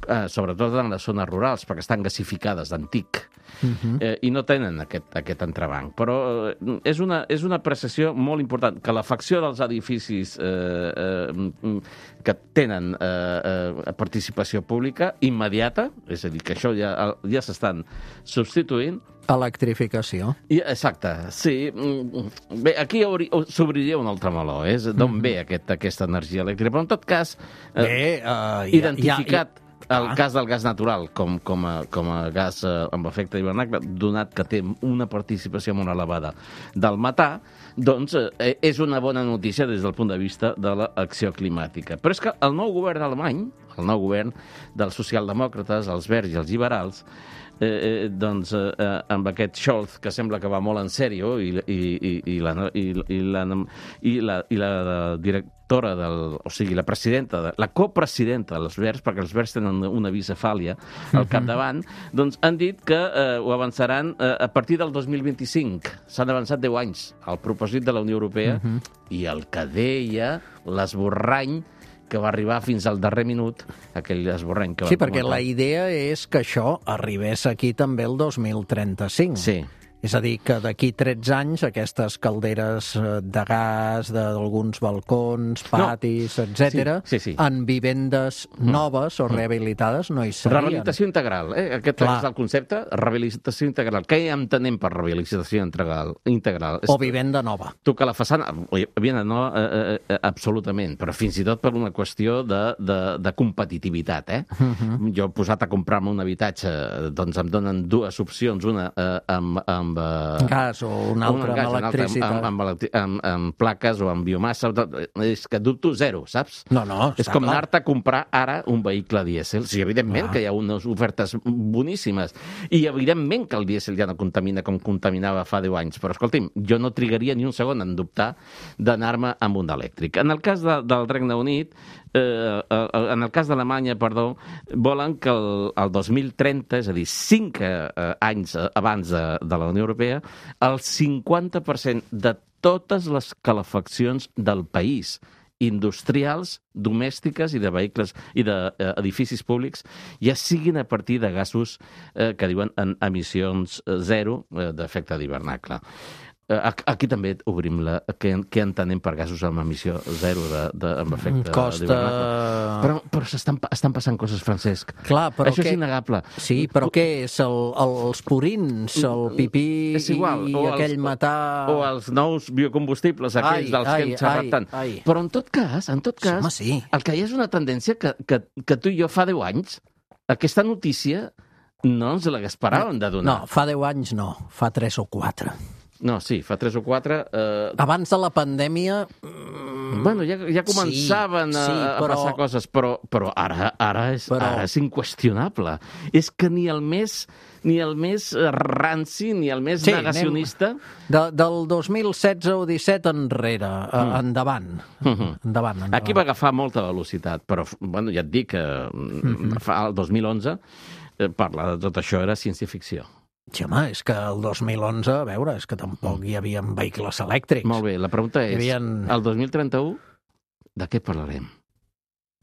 eh, sobretot en les zones rurals, perquè estan gasificades d'antic, uh-huh. eh, i no tenen aquest, aquest entrebanc. Però eh, és, una, és una apreciació molt important, que la facció dels edificis eh, eh, que tenen eh, eh, participació pública immediata, és a dir, que això ja, ja s'estan substituint. Electrificació. I, exacte, sí. Bé, aquí s'obriria un altre meló, eh? D'on mm. ve aquest, aquesta energia elèctrica? Però en tot cas, eh, Bé, uh, identificat ja, ja, ja. el cas del gas natural com, com, a, com a gas eh, amb efecte hivernacle, donat que té una participació molt elevada del metà, doncs eh, és una bona notícia des del punt de vista de l'acció climàtica. Però és que el nou govern alemany, el nou govern dels socialdemòcrates, els verds i els liberals, Eh, eh, doncs eh, amb aquest Scholz, que sembla que va molt en sèrio, i, i, i, i, la, i, i, la, i, la, i la direct, directora, del, o sigui, la presidenta, de, la copresidenta dels Verds, perquè els Verds tenen una bicefàlia al capdavant, doncs han dit que eh, ho avançaran eh, a partir del dos mil vint-i-cinc. S'han avançat deu anys al propòsit de la Unió Europea uh -huh. i el que deia l'esborrany que va arribar fins al darrer minut, aquell esborrany que va... Sí, perquè la idea és que això arribés aquí també el dos mil trenta-cinc. Sí. És a dir, que d'aquí tretze anys aquestes calderes de gas d'alguns balcons, patis, no. etcètera, sí, sí, sí. en vivendes noves o rehabilitades no hi serien. Rehabilitació integral, eh? Aquest Clar. és el concepte, rehabilitació integral. Què entenem per rehabilitació integral? integral? O vivenda nova. Tu que la façana, vivenda nova, eh, eh, absolutament, però fins i tot per una qüestió de, de, de competitivitat, eh? Uh -huh. Jo he posat a comprar-me un habitatge, doncs em donen dues opcions, una eh, amb, amb amb... gas o una altra gas, amb electricitat. Amb, amb, amb, amb, amb plaques o amb biomassa. És que dubto zero, saps? No, no, és com anar-te a comprar ara un vehicle dièsel. Sí, evidentment ah. que hi ha unes ofertes boníssimes. I evidentment que el dièsel ja no contamina com contaminava fa deu anys. Però, escolti'm, jo no trigaria ni un segon en dubtar d'anar-me amb un elèctric. En el cas de, del Regne Unit, eh, en el cas d'Alemanya, perdó, volen que el, el dos mil trenta, és a dir, cinc eh, anys abans de, de la Unió Europea, el cinquanta per cent de totes les calefaccions del país, industrials, domèstiques i de vehicles i d'edificis públics, ja siguin a partir de gasos eh, que diuen en emissions zero eh, d'efecte d'hivernacle. Aquí també obrim la... Què, què entenem per gasos amb emissió zero de, de, amb efecte Costa... d'hivernacle? Però, però estan, estan passant coses, Francesc. Clar, però Això que... és innegable. Sí, però què és? El, els purins, el pipí és igual, i o aquell els, metà... O els nous biocombustibles, aquells ai, dels ai, que hem xerrat ai, tant. Ai. Però en tot cas, en tot cas, Home, sí. el que hi ha és una tendència que, que, que tu i jo fa deu anys, aquesta notícia no ens l'haguesperàvem de donar. No, fa deu anys no, fa tres o quatre. No, sí, fa tres o quatre... Eh... Abans de la pandèmia... Bueno, ja, ja començaven sí, sí, a, a però... passar coses, però, però, ara, ara, és, però ara és inqüestionable. És que ni el més, ni el més ranci, ni el més sí, negacionista... De, del dos mil setze o disset enrere, mm. endavant. Mm-hmm. endavant, endavant. Aquí va agafar molta velocitat, però bueno, ja et dic que mm-hmm. fa el dos mil onze eh, parlar de tot això era ciència-ficció. Sí, home, és que el dos mil onze, a veure, és que tampoc hi havia vehicles elèctrics. Molt bé, la pregunta és, havien... el dos mil trenta-u, de què parlarem?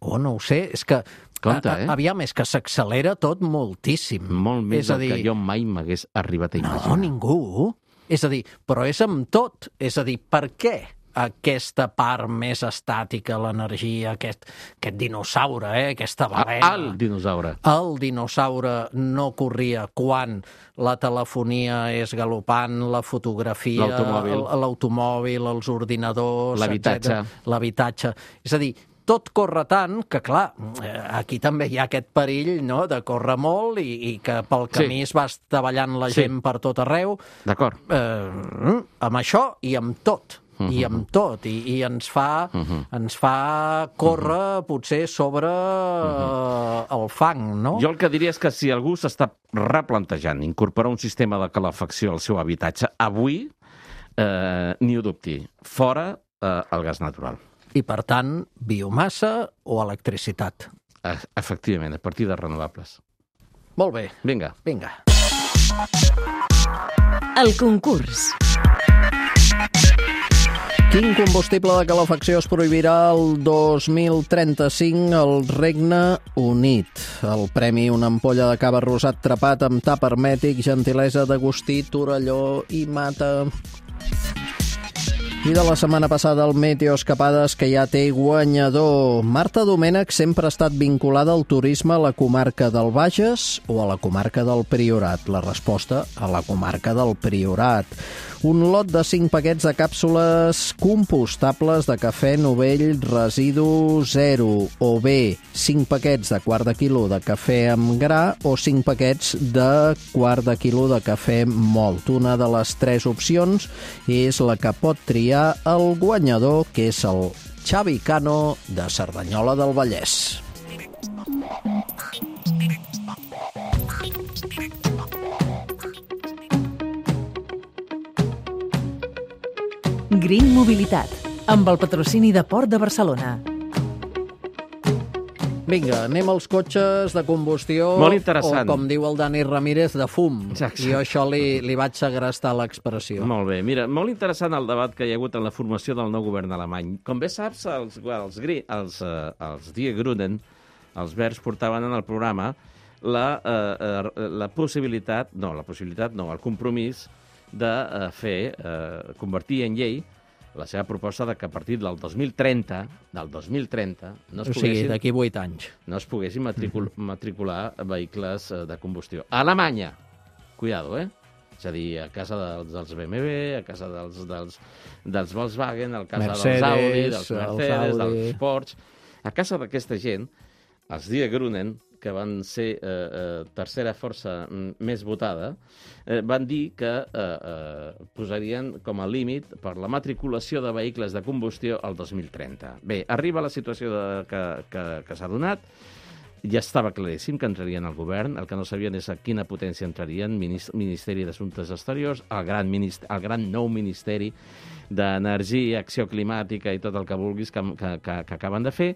Oh, no ho sé, és que... Compte, eh? Aviam, és que s'accelera tot moltíssim. Molt més del dir... que jo mai m'hagués arribat a imaginar. No, ningú. És a dir, però és amb tot. És a dir, per què aquesta part més estàtica, l'energia, aquest, aquest dinosaure, eh? aquesta balena... El dinosaure. El dinosaure no corria quan la telefonia és galopant, la fotografia, l'automòbil, els ordinadors... L'habitatge. L'habitatge. És a dir, tot corre tant que, clar, aquí també hi ha aquest perill, no?, de córrer molt i, i que pel camí sí. es va estavellant la gent sí. per tot arreu. D'acord. Eh, amb això i amb tot. Uh-huh. I amb tot, i, i ens fa uh-huh. ens fa córrer uh-huh. potser sobre uh-huh. el fang, no? Jo el que diria és que si algú s'està replantejant incorporar un sistema de calefacció al seu habitatge, avui eh, ni ho dubti, fora eh, el gas natural. I per tant, biomassa o electricitat? Efectivament, a partir de renovables. Molt bé. Vinga. Vinga. El concurs. Quin combustible de calefacció es prohibirà el dos mil trenta-cinc al Regne Unit? El premi, una ampolla de cava rosat trepat amb tap hermètic, gentilesa d'Agustí, Torelló i Mata. I de la setmana passada el Meteo Escapades, que ja té guanyador. Marta Domènech sempre ha estat vinculada al turisme a la comarca del Bages o a la comarca del Priorat. La resposta, a la comarca del Priorat. Un lot de cinc paquets de càpsules compostables de cafè Novell residu zero, o bé cinc paquets de quart de quilo de cafè amb gra o cinc paquets de quart de quilo de cafè mòlt. Una de les tres opcions és la que pot triar el guanyador, que és el Xavi Cano de Cerdanyola del Vallès. Green Mobilitat, amb el patrocini de Port de Barcelona. Vinga, anem als cotxes de combustió. Molt interessant. O, com diu el Dani Ramírez, de fum. Exacte. I jo això li, li vaig segrestar l'expressió. Molt bé. Mira, molt interessant el debat que hi ha hagut en la formació del nou govern alemany. Com bé saps, els, els, els, uh, els Die Grünen, els verds, portaven en el programa la, uh, uh, la possibilitat, no, la possibilitat, no, el compromís de uh, fer, uh, convertir en llei la seva proposta de que a partir del dos mil trenta, del dos mil trenta, no es o sigui, poguessin, d'aquí vuit anys. no es poguessin matricul, matricular vehicles de combustió. A Alemanya, cuidado, eh? És a dir, a casa dels, dels B M W, a casa dels, dels, dels Volkswagen, a casa Mercedes, dels Audi, dels Mercedes, Audi. dels Porsche. A casa d'aquesta gent, els Die Grünen, que van ser eh, eh, tercera força més votada, eh, van dir que eh, eh, posarien com a límit per la matriculació de vehicles de combustió al dos mil trenta. Bé, arriba la situació de, que, que, que s'ha donat, ja estava claríssim que entrarien al govern, el que no sabien és a quina potència entrarien, Ministeri d'Assumptes Exteriors, el gran, ministeri, el gran nou Ministeri d'Energia, Acció Climàtica i tot el que vulguis que, que, que, que acaben de fer,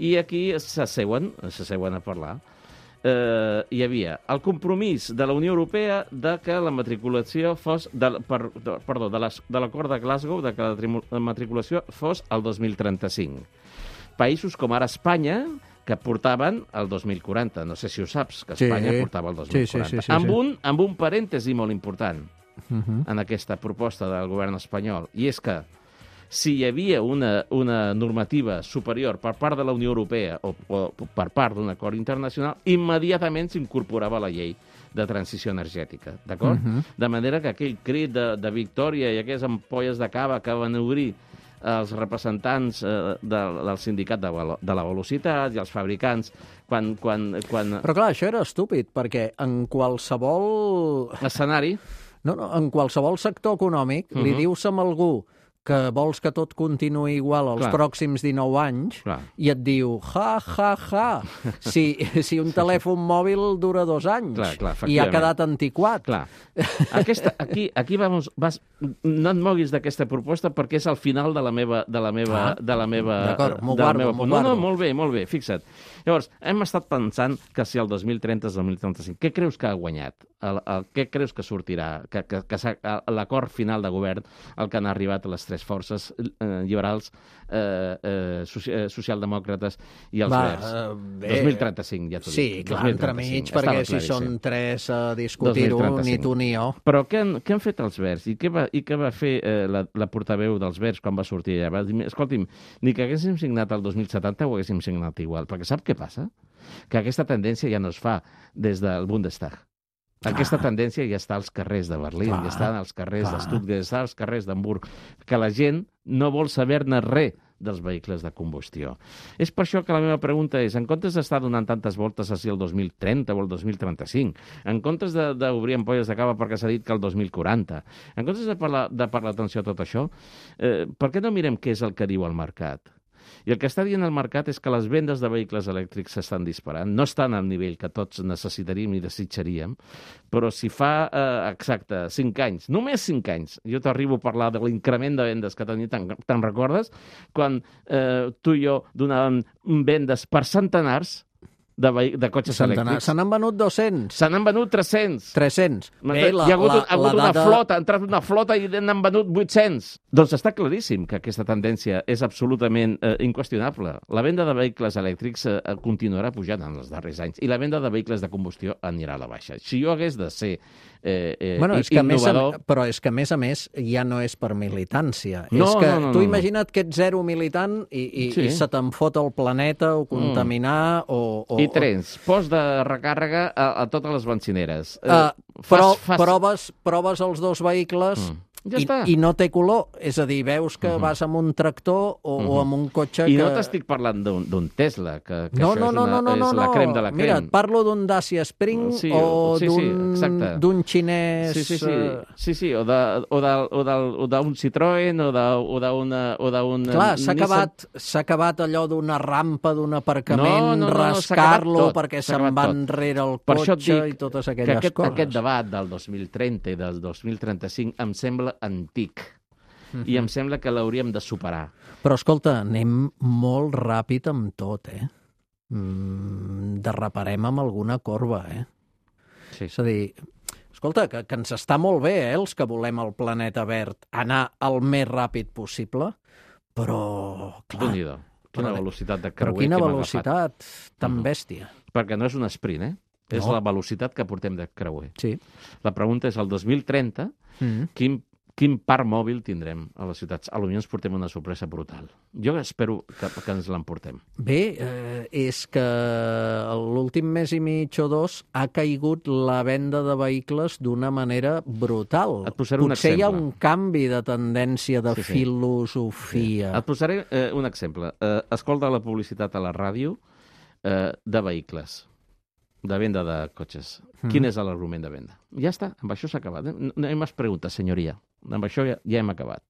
i aquí s'asseuen, s'asseuen a parlar. Eh, hi havia el compromís de la Unió Europea de que la matriculació fos, de, per, de, perdó, de l'acord de Glasgow, de que la matriculació fos el dos mil trenta-cinc. Països com ara Espanya, que portaven el dos mil quaranta. No sé si ho saps, que Espanya sí. portava el dos mil quaranta. Sí, sí, sí, sí, amb, un, amb un parèntesi molt important uh-huh. en aquesta proposta del govern espanyol, i és que si hi havia una, una normativa superior per part de la Unió Europea o, o per part d'un acord internacional, immediatament s'incorporava la llei de transició energètica, d'acord? Uh-huh. De manera que aquell crit de, de victòria i aquelles ampolles de cava que van obrir els representants eh, de, del sindicat de, de la velocitat i els fabricants, quan, quan, quan... Però clar, això era estúpid, perquè en qualsevol... escenari... No, no, en qualsevol sector econòmic uh-huh. li dius a algú que vols que tot continuï igual els clar. pròxims dinou anys clar. i et diu, ja, ja, ja, si, si un telèfon mòbil dura dos anys clar, clar, i ha quedat antiquat. Clar. Aquesta, aquí, aquí vamos, vas, no et moguis d'aquesta proposta perquè és al final de la meva... De la meva, ah, de la meva d'acord, m'ho guardo, m'ho guardo. No, no, molt bé, molt bé, fixa't. Llavors, hem estat pensant que si el dos mil trenta és el dos mil trenta-cinc, què creus que ha guanyat? El, el, què creus que sortirà? Que, que, que l'acord final de govern al que han arribat les tres forces eh, liberals, eh, eh, soci, eh, socialdemòcrates i els Va, verds. Uh, dos mil trenta-cinc, ja t'ho dic. Sí, clar, entremig, perquè si són tres a discutir-ho, ni tu ni jo. Però què han, què han fet els verds? I què va, i què va fer eh, la, la portaveu dels verds quan va sortir allà? Va dir, escolti'm, ni que haguéssim signat el dos mil setanta ho haguéssim signat igual, perquè sap què passa? Que aquesta tendència ja no es fa des del Bundestag. Aquesta tendència ja està als carrers de Berlín, clar, ja està als carrers clar. de Stuttgart, ja està als carrers d'Hamburg, que la gent no vol saber-ne res dels vehicles de combustió. És per això que la meva pregunta és, en comptes d'estar donant tantes voltes a si el dos mil trenta o el dos mil trenta-cinc, en comptes d'obrir ampolles de cava perquè s'ha dit que el dos mil quaranta, en comptes de parlar, de parlar atenció a tot això, eh, per què no mirem què és el que diu el mercat? I el que està dient el mercat és que les vendes de vehicles elèctrics s'estan disparant. No estan al nivell que tots necessitaríem i desitjaríem, però si fa, eh, exacte, cinc anys, només cinc anys, jo t'arribo a parlar de l'increment de vendes que tenia, te'n te recordes? Quan eh, tu i jo donàvem vendes per centenars de, de cotxes Centenar. elèctrics. Se n'han venut dos-cents. Se n'han venut tres-cents. tres-cents. Bé, la, Hi ha hagut, la, ha hagut una dada... flota, ha entrat una flota i n'han venut vuit-cents. Doncs està claríssim que aquesta tendència és absolutament eh, inqüestionable. La venda de vehicles elèctrics eh, continuarà pujant en els darrers anys i la venda de vehicles de combustió anirà a la baixa. Si jo hagués de ser eh, eh, bueno, és que innovador... A, però és que, a més a més, ja no és per militància. No, és que no, no, tu no, imagina't que ets zero militant i, i, sí. i se te'n fot el planeta o contaminar mm. o, o... I trens, post de recàrrega a, a totes les benzineres. Uh, però fas, fas... Proves, proves els dos vehicles... Mm. Ja I, I no té color, és a dir, veus que uh-huh. vas amb un tractor o, uh-huh. o amb un cotxe I que... no t'estic parlant d'un Tesla, que, que no, això no, és, no, una, no, no, és la crem de la crem. Mira, et parlo d'un Dacia Spring sí, o sí, d'un sí, d'un xinès... Sí, sí, sí, sí, sí o d'un Citroën o d'un... Clar, s'ha acabat, s'ha acabat allò d'una rampa, d'un aparcament, no, no, no, rascar-lo perquè se'n va enrere el cotxe dic, i totes aquelles aquest, coses. Aquest debat del dos mil trenta i del dos mil trenta-cinc em sembla antic. mm-hmm. i em sembla que l'hauríem de superar. Però, escolta, anem molt ràpid amb tot, eh? Mm, derraparem amb alguna corba, eh? Sí. És a dir, escolta, que, que ens està molt bé, eh, els que volem el planeta verd, anar el més ràpid possible, però, clar... Déu-n'hi-do. Quina velocitat de creuer però quina que hem velocitat agafat. tan Mm-hmm. bèstia. Perquè no és un sprint, eh? És No. la velocitat que portem de creuer. Sí. La pregunta és, el dos mil trenta, Mm. quin, quin parc mòbil tindrem a les ciutats? Potser ens portem una sorpresa brutal. Jo espero que, que ens l'emportem. Bé, eh, és que l'últim mes i mig o dos ha caigut la venda de vehicles d'una manera brutal. Et posaré un Potser hi ha exemple. un canvi de tendència, de Sí, sí. filosofia. Et posaré eh, un exemple. Eh, escolta la publicitat a la ràdio eh, de vehicles, de venda de cotxes. Mm. Quin és l'argument de venda? Ja està, amb això s'ha acabat. No, no hem preguntat, senyoria. Amb això ja, ja hem acabat.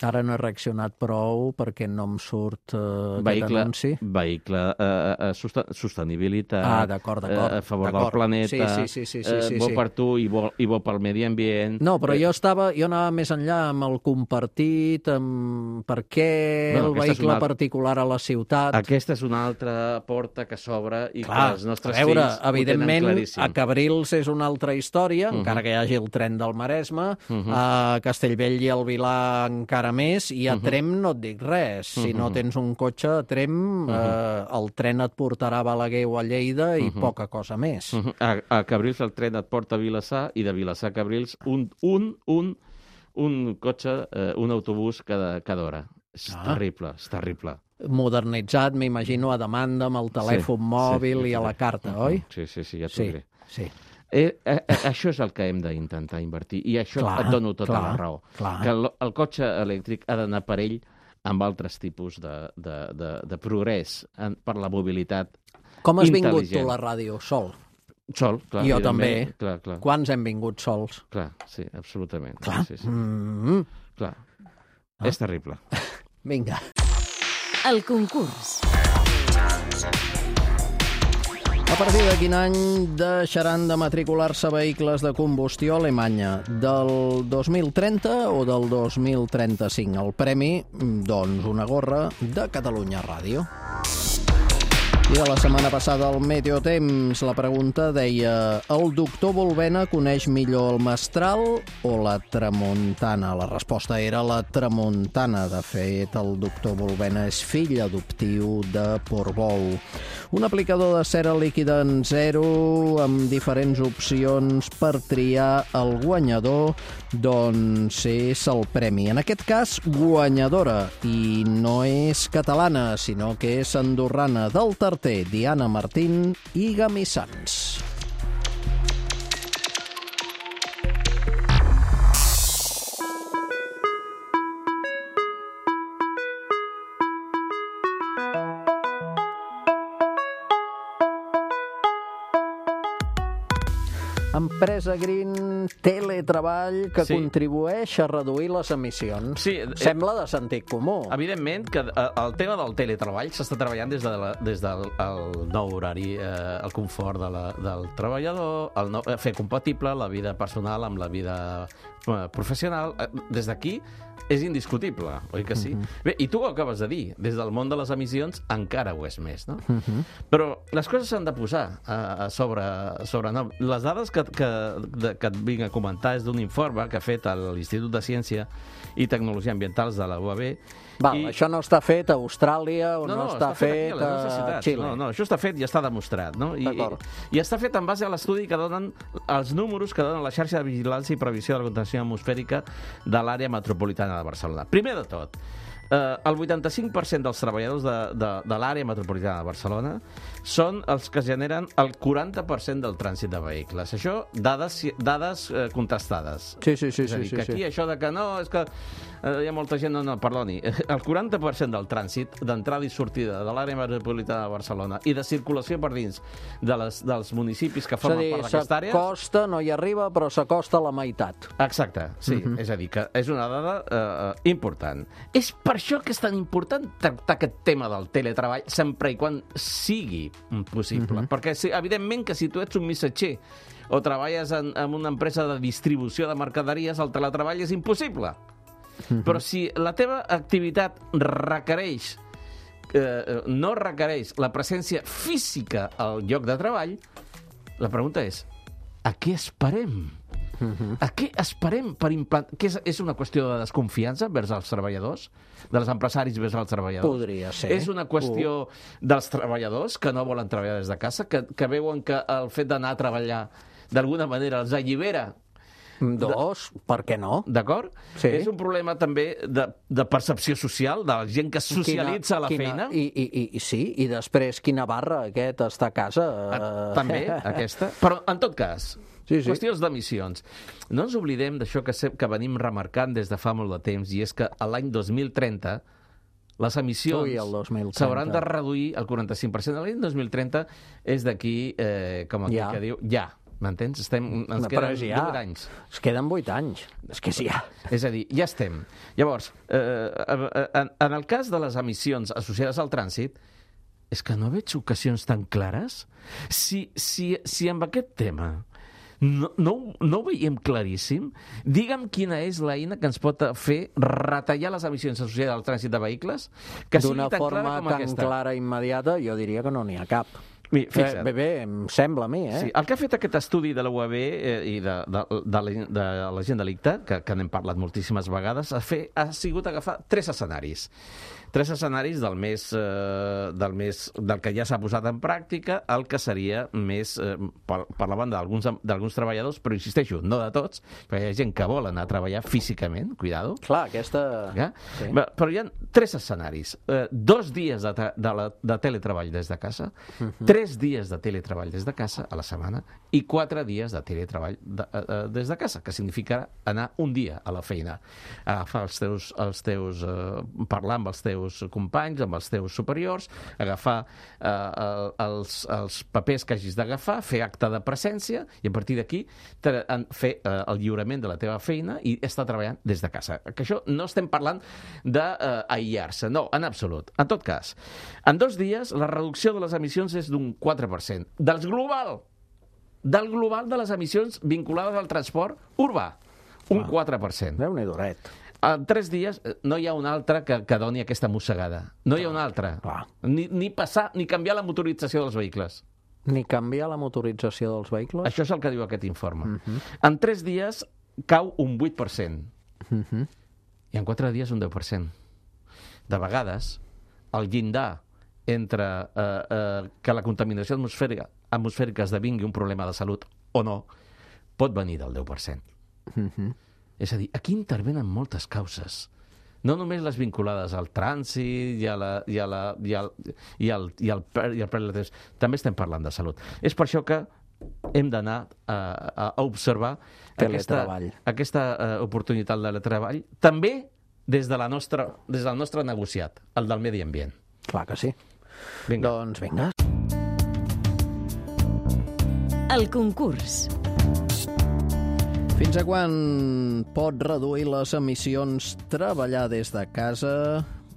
Ara no he reaccionat prou perquè no em surt eh, aquest Vehicle, anunci. vehicle eh, eh, sosten sostenibilitat, Ah, d'acord, d'acord. eh, a favor del d'acord. planeta, Sí, sí, sí, sí, sí, eh, sí, bo sí. per tu i bo, i bo pel medi ambient. No, però Eh, jo estava, jo anava més enllà amb el compartit, amb per què Bueno, el aquesta és vehicle una- particular a la ciutat. Aquesta és una altra porta que s'obre i Clar, que els nostres a veure, fills ho evidentment, tenen claríssim. a Cabrils és una altra història, Mhm. encara que hi hagi el tren del Maresme, Mhm. a Castellbell i el Vilar encara més, i a Mhm. Trem no et dic res. Si no Mhm. tens un cotxe a Trem, eh, el tren et portarà a Balaguer o a Lleida i Mhm. poca cosa més. Mhm. A, a Cabrils el tren et porta a Vilassar i de Vilassar a Cabrils un, un, un, un cotxe, eh, un autobús cada, cada hora. És Ah. terrible, és terrible. Modernitzat, m'imagino, a demanda, amb el telèfon Sí, mòbil sí, i a sí. la carta, Mhm. oi? Sí, sí, sí, ja t'ho Sí, diré. sí. Eh, eh, eh, això és el que hem d'intentar invertir i això Clar, et dono tota clar, la raó. clar. Que el, el cotxe elèctric ha d'anar per ell amb altres tipus de, de, de, de progrés en, per la mobilitat Com has vingut tu intel·ligent. a la ràdio, sol? Sol, clar. Jo evidentment. també. Clar, clar, Quants hem vingut sols? clar, sí, absolutament. Clar. Sí, sí, Mm, clar. Ah. És terrible. vinga. El concurs. A partir de quin any deixaran de matricular-se vehicles de combustió a Alemanya? Del dos mil trenta o del dos mil trenta-cinc? El premi, doncs, una gorra de Catalunya Ràdio. I de la setmana passada al Meteotemps la pregunta deia: el doctor Volbena coneix millor el mestral o la tramuntana? La resposta era la tramuntana. De fet, el doctor Volbena és fill adoptiu de Portbou. Un aplicador de cera líquida en zero amb diferents opcions per triar el guanyador, doncs és el premi. En aquest cas, guanyadora. I no és catalana, sinó que és andorrana, del Tarter, Diana Martín i Gamissans. Empresa Green, teletreball que Sí. contribueix a reduir les emissions. Sí, eh, Sembla de sentit comú. Evidentment que eh, el tema del teletreball s'està treballant des, de la, des del el nou horari, eh, el confort de la, del treballador, el nou, eh, fer compatible la vida personal amb la vida eh, professional. Eh, Des d'aquí és indiscutible, oi que sí? Mm-hmm. Bé, i tu ho acabes de dir, des del món de les emissions encara ho és més, no? Mhm. Però les coses s'han de posar a, a sobre, sobre nom. Les dades que, que, de, que et vinc a comentar és d'un informe que ha fet l'Institut de Ciència i Tecnologia Ambientals de la U A B. Val, I- això no està fet a Austràlia o no, no, està, fet, aquí, a les a universitats. Xile. No, no, això està fet i està demostrat, no? I, D'acord. i, I està fet en base a l'estudi que donen els números que donen la xarxa de vigilància i previsió de la contaminació atmosfèrica de l'àrea metropolitana de Barcelona. Primer de tot, eh, el vuitanta-cinc per cent dels treballadors de, de, de l'àrea metropolitana de Barcelona són els que generen el quaranta per cent del trànsit de vehicles. Això, dades, dades eh, contrastades. Sí, sí, sí. És a sí, dir, sí, que aquí sí. això de que no, és que eh, hi ha molta gent, no, no, perdoni, el quaranta per cent del trànsit d'entrada i sortida de l'àrea metropolitana de Barcelona i de circulació per dins de les, dels municipis que És a formen dir, part d'aquesta àrea... s'acosta, no hi arriba, però s'acosta a la meitat. Exacte, sí, Mhm. és a dir, que és una dada eh, important. És per això que és tan important tractar aquest tema del teletreball sempre i quan sigui possible. Mhm. Perquè, sí, evidentment, que si tu ets un missatger o treballes en, en una empresa de distribució de mercaderies, el teletreball és impossible. Mm-hmm. Però si la teva activitat requereix, eh, no requereix la presència física al lloc de treball, la pregunta és, a què esperem? Uh-huh. A què esperem per implantar? Que és, és una qüestió de desconfiança vers els treballadors? Dels empresaris vers els treballadors? Podria ser. És una qüestió uh. dels treballadors que no volen treballar des de casa, que, que veuen que el fet d'anar a treballar d'alguna manera els allibera? Dos, de... per què no? D'acord? Sí. És un problema també de, de percepció social, de la gent que es socialitza quina, a la quina, feina? I, i, i, sí, i després quina barra aquest està a casa. Uh, també, aquesta. Però, en tot cas, sí, sí. qüestions d'emissions. No ens oblidem d'això que, que venim remarcant des de fa molt de temps, i és que l'any dos mil trenta les emissions s'hauran de reduir el quaranta-cinc per cent. L'any dos mil trenta és d'aquí, eh, com el ja. que diu, ja. M'entens? Estem, ens queden ja, vuit anys. Es queden vuit anys. És que sí, ja. És a dir, ja estem. Llavors, eh, en, en el cas de les emissions associades al trànsit, és que no veig ocasions tan clares. Si, si, si amb aquest tema no, no, no ho veiem claríssim, digue'm quina és l'eina que ens pot fer retallar les emissions associades al trànsit de vehicles, que sigui tan clara com aquesta. D'una forma tan clara i immediata, jo diria que no n'hi ha cap. Bé, eh, bé, bé, em sembla a mi, eh? Sí, el que ha fet aquest estudi de la U A B eh, i de, de, de, la, de la gent delicte, que, que n'hem parlat moltíssimes vegades, ha, fer, ha sigut agafar tres escenaris. Tres escenaris del més, eh, del, més, del que ja s'ha posat en pràctica, el que seria més eh, per, per la banda d'alguns treballadors, però insisteixo, no de tots, perquè hi ha gent que vol anar a treballar físicament, cuidado. Clar, aquesta... Ja? Sí. Però hi ha tres escenaris. Eh, dos dies de, de, la, de teletreball des de casa, uh-huh. tres dies de teletreball des de casa a la setmana i quatre dies de teletreball de, eh, des de casa, que significa anar un dia a la feina, agafar els teus, els teus eh, parlar amb els teus companys, amb els teus superiors, agafar eh, els, els papers que hagis d'agafar, fer acte de presència i a partir d'aquí fer eh, el lliurament de la teva feina i estar treballant des de casa. Que això no estem parlant d'aïllar-se, no, en absolut. En tot cas, en dos dies la reducció de les emissions és d'un quatre per cent. Dels global, del global de les emissions vinculades al transport urbà, un quatre per cent. Déu-n'hi-do-ret. En tres dies no hi ha un altre que, que doni aquesta mossegada. No hi ha un altre. Ni, ni passar, ni canviar la motorització dels vehicles. Ni canviar la motorització dels vehicles? Això és el que diu aquest informe. Uh-huh. En tres dies cau un vuit per cent. Uh-huh. I en quatre dies un deu per cent. De vegades, el llindar entre eh, eh, que la contaminació atmosfèrica, atmosfèrica esdevingui un problema de salut o no, pot venir del deu per cent. Uh-huh. És a dir, aquí intervenen moltes causes. No només les vinculades al trànsit i, a la, i, a la, i, al, i, al, i, al, i al preu de temps. També estem parlant de salut. És per això que hem d'anar a, a observar aquesta, aquesta uh, oportunitat de treball, també des, de la nostra, des del nostre negociat, el del medi ambient. Clar que sí. Vinga. Doncs vinga. El concurs. Fins a quan pot reduir les emissions treballar des de casa?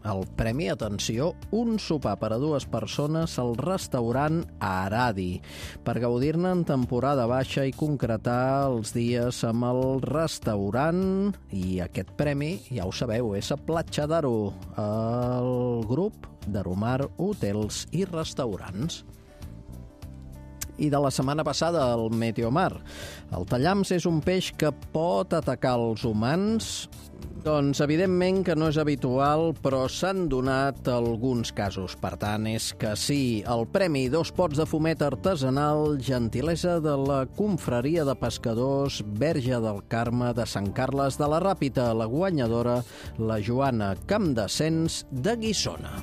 El premi, atenció, un sopar per a dues persones al restaurant Aradi, per gaudir-ne en temporada baixa i concretar els dies amb el restaurant. I aquest premi, ja ho sabeu, és a Platja d'Aro, el grup d'Aromar Hotels i Restaurants. I de la setmana passada, el Meteomar. El tallams és un peix que pot atacar els humans? Doncs evidentment que no és habitual, però s'han donat alguns casos. Per tant, és que sí. El premi Dos pots de fumet artesanal, gentilesa de la Confraria de Pescadors Verge del Carme de Sant Carles de la Ràpita. La guanyadora, la Joana Campdesens de Guissona.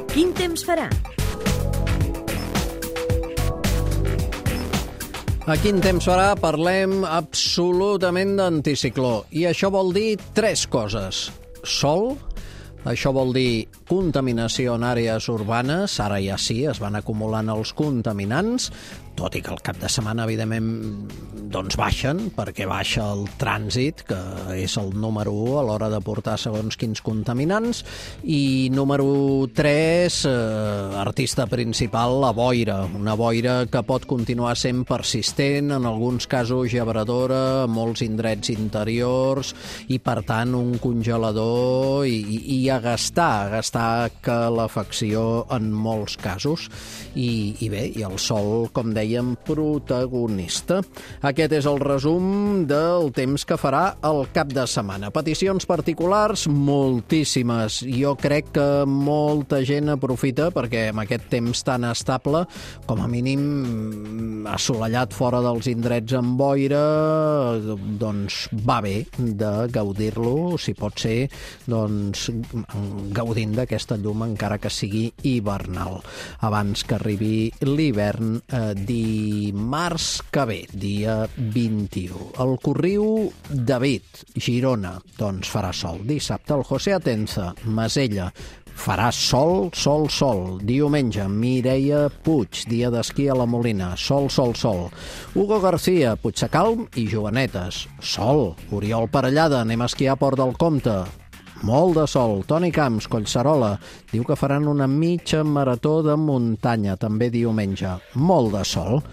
Quin temps farà? A quin temps farà? Parlem absolutament d'anticicló. I això vol dir tres coses. Sol, això vol dir contaminació en àrees urbanes. Ara ja sí, es van acumulant els contaminants, tot i que el cap de setmana, evidentment, doncs baixen, perquè baixa el trànsit, que és el número u a l'hora de portar segons quins contaminants. I número tres, eh, artista principal, la boira. Una boira que pot continuar sent persistent, en alguns casos gebradora, a molts indrets interiors, i per tant un congelador i, i, i a gastar, a gastar calefacció en molts casos. I, i bé, i el sol, com dèiem, protagonista. Aquest és el resum del temps que farà el cap de setmana. Peticions particulars, moltíssimes. Jo crec que molta gent aprofita perquè amb aquest temps tan estable, com a mínim assolellat fora dels indrets amb boira, doncs va bé de gaudir-lo, si pot ser, doncs gaudint d'aquesta llum encara que sigui hivernal, abans que arribi l'hivern eh, dimarts que ve, dia vint-i-u. El Corriu, David, Girona, doncs farà sol. Dissabte, el José Atenza, Masella, farà sol, sol, sol. Diumenge, Mireia Puig, dia d'esquí a la Molina, sol, sol, sol. Hugo García, Puigsecalm i Joanetes, sol. Oriol Parellada, anem a esquiar a Port del Comte, molt de sol. Toni Camps, Collserola, diu que faran una mitja marató de muntanya, també diumenge. Molt de sol.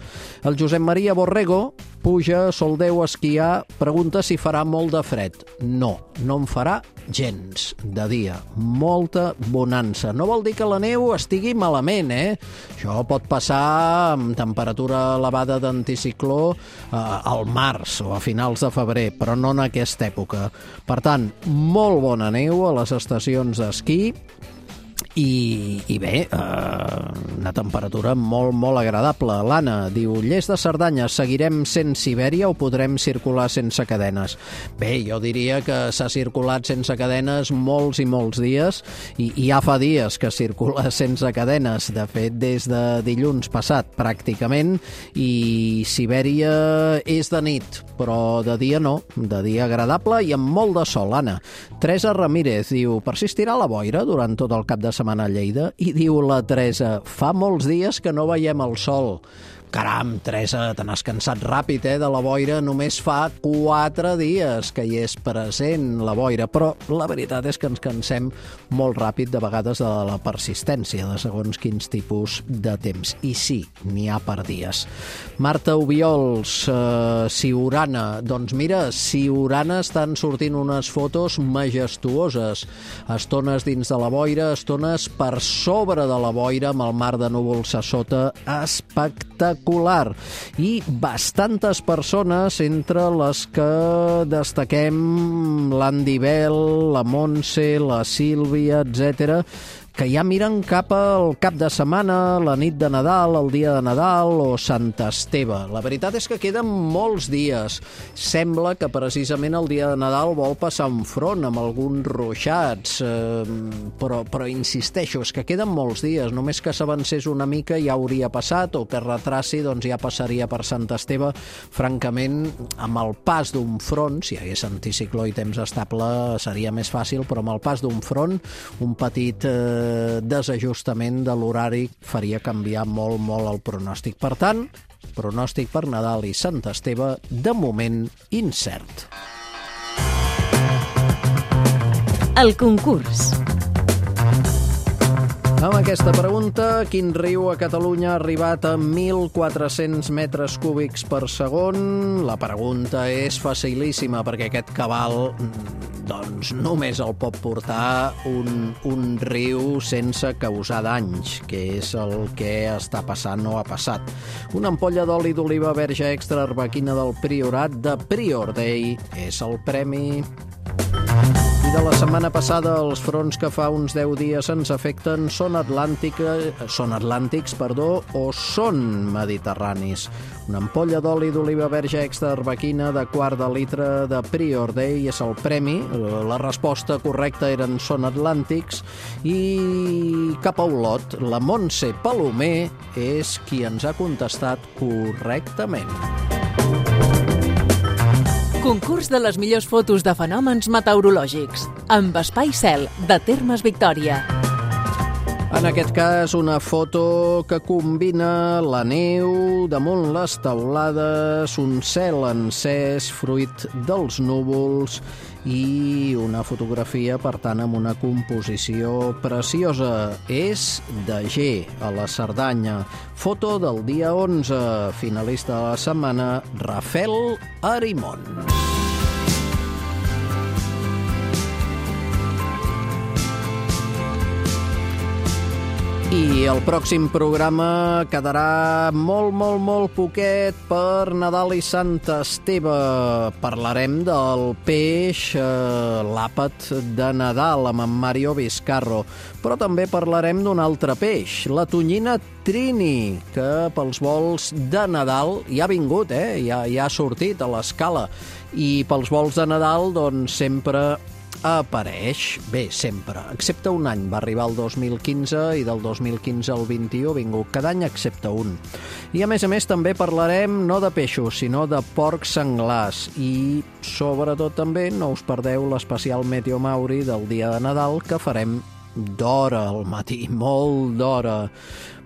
El Josep Maria Borrego puja a Soldeu a esquiar, pregunta si farà molt de fred. No, no en farà gens de dia. Molta bonança. No vol dir que la neu estigui malament, eh? Això pot passar amb temperatura elevada d'anticicló eh, al març o a finals de febrer, però no en aquesta època. Per tant, molt bona neu a les estacions d'esquí. I, i bé, eh, una temperatura molt, molt agradable. L'Anna diu, Lles de Cerdanya, seguirem sent Sibèria o podrem circular sense cadenes? Bé, jo diria que s'ha circulat sense cadenes molts i molts dies, i, i ja fa dies que circula sense cadenes, de fet des de dilluns passat pràcticament, i Sibèria és de nit, però de dia no, de dia agradable i amb molt de sol. Anna. Teresa Ramírez diu, persistirà la boira durant tot el cap de setmana a Lleida? I diu la Teresa, fa molts dies que no veiem el sol. Caram, Teresa, te n'has cansat ràpid, eh, de la boira. Només fa quatre dies que hi és present la boira, però la veritat és que ens cansem molt ràpid de vegades de la persistència de segons quins tipus de temps. I sí, n'hi ha per dies. Marta Obiols, eh, Siurana. Doncs mira, Siurana estan sortint unes fotos majestuoses. Estones dins de la boira, estones per sobre de la boira, amb el mar de núvols a sota. Espectacular. I bastantes persones, entre les que destaquem l'Andy Bell, la Montse, la Sílvia, etcètera, que ja miren cap al cap de setmana, la nit de Nadal, el dia de Nadal o Sant Esteve. La veritat és que queden molts dies. Sembla que precisament el dia de Nadal vol passar un front amb alguns ruixats, eh, però, però insisteixo, és que queden molts dies. Només que s'avancés una mica ja hauria passat, o que retraci, doncs ja passaria per Sant Esteve. Francament, amb el pas d'un front, si hi hagués anticicló i temps estable seria més fàcil, però amb el pas d'un front, un petit eh, desajustament de l'horari faria canviar molt, molt el pronòstic. Per tant, pronòstic per Nadal i Sant Esteve, de moment incert. El concurs. Amb aquesta pregunta, quin riu a Catalunya ha arribat a mil quatre-cents metres cúbics per segon? La pregunta és facilíssima, perquè aquest cabal doncs només el pot portar un, un riu sense causar danys, que és el que està passant o ha passat. Una ampolla d'oli d'oliva verge extra arbequina del Priorat de Prior Day és el premi. I de la setmana passada, els fronts que fa uns deu dies ens afecten són, atlàntica, són atlàntics perdó, o són mediterranis. Una ampolla d'oli d'oliva verge extra arbequina de quart de litre de Prior Day és el premi. La resposta correcta eren són atlàntics. I cap a Olot, la Montse Palomer és qui ens ha contestat correctament. Concurs de les millors fotos de fenòmens meteorològics amb Espai Cel, de Termes Victòria. En aquest cas, una foto que combina la neu damunt les teulades, un cel encès fruit dels núvols i una fotografia, per tant, amb una composició preciosa. És de G, a la Cerdanya. Foto del dia onze, finalista de la setmana, Rafael Arimon. I el pròxim programa quedarà molt, molt, molt poquet per Nadal i Sant Esteve. Parlarem del peix, eh, l'àpat de Nadal, amb en Mario Vizcarro. Però també parlarem d'un altre peix, la tonyina Trini, que pels vols de Nadal ja ha vingut, eh? ja, ja ha sortit a l'escala. I pels vols de Nadal, doncs, sempre apareix, bé, sempre, excepte un any, va arribar el dos mil quinze i del dos mil quinze al vint-i-u ha vingut cada any excepte un. I a més a més també parlarem no de peixos, sinó de porcs senglars i sobretot també no us perdeu l'especial Meteo Mauri del dia de Nadal que farem d'hora al matí, molt d'hora,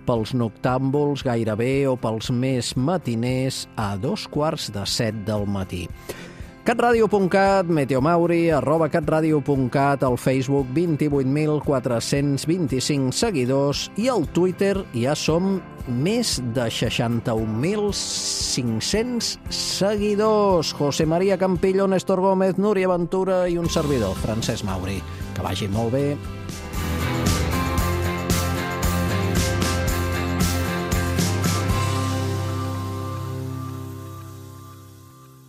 pels noctàmbuls gairebé o pels més matiners a dos quarts de set del matí. catradio punt cat, meteomauri, arroba catradio punt cat, al Facebook vint-i-vuit mil quatre-cents vint-i-cinc seguidors i al Twitter ja som més de seixanta-un mil cinc-cents seguidors. José María Campillo, Néstor Gómez, Núria Ventura i un servidor, Francesc Mauri. Que vagi molt bé.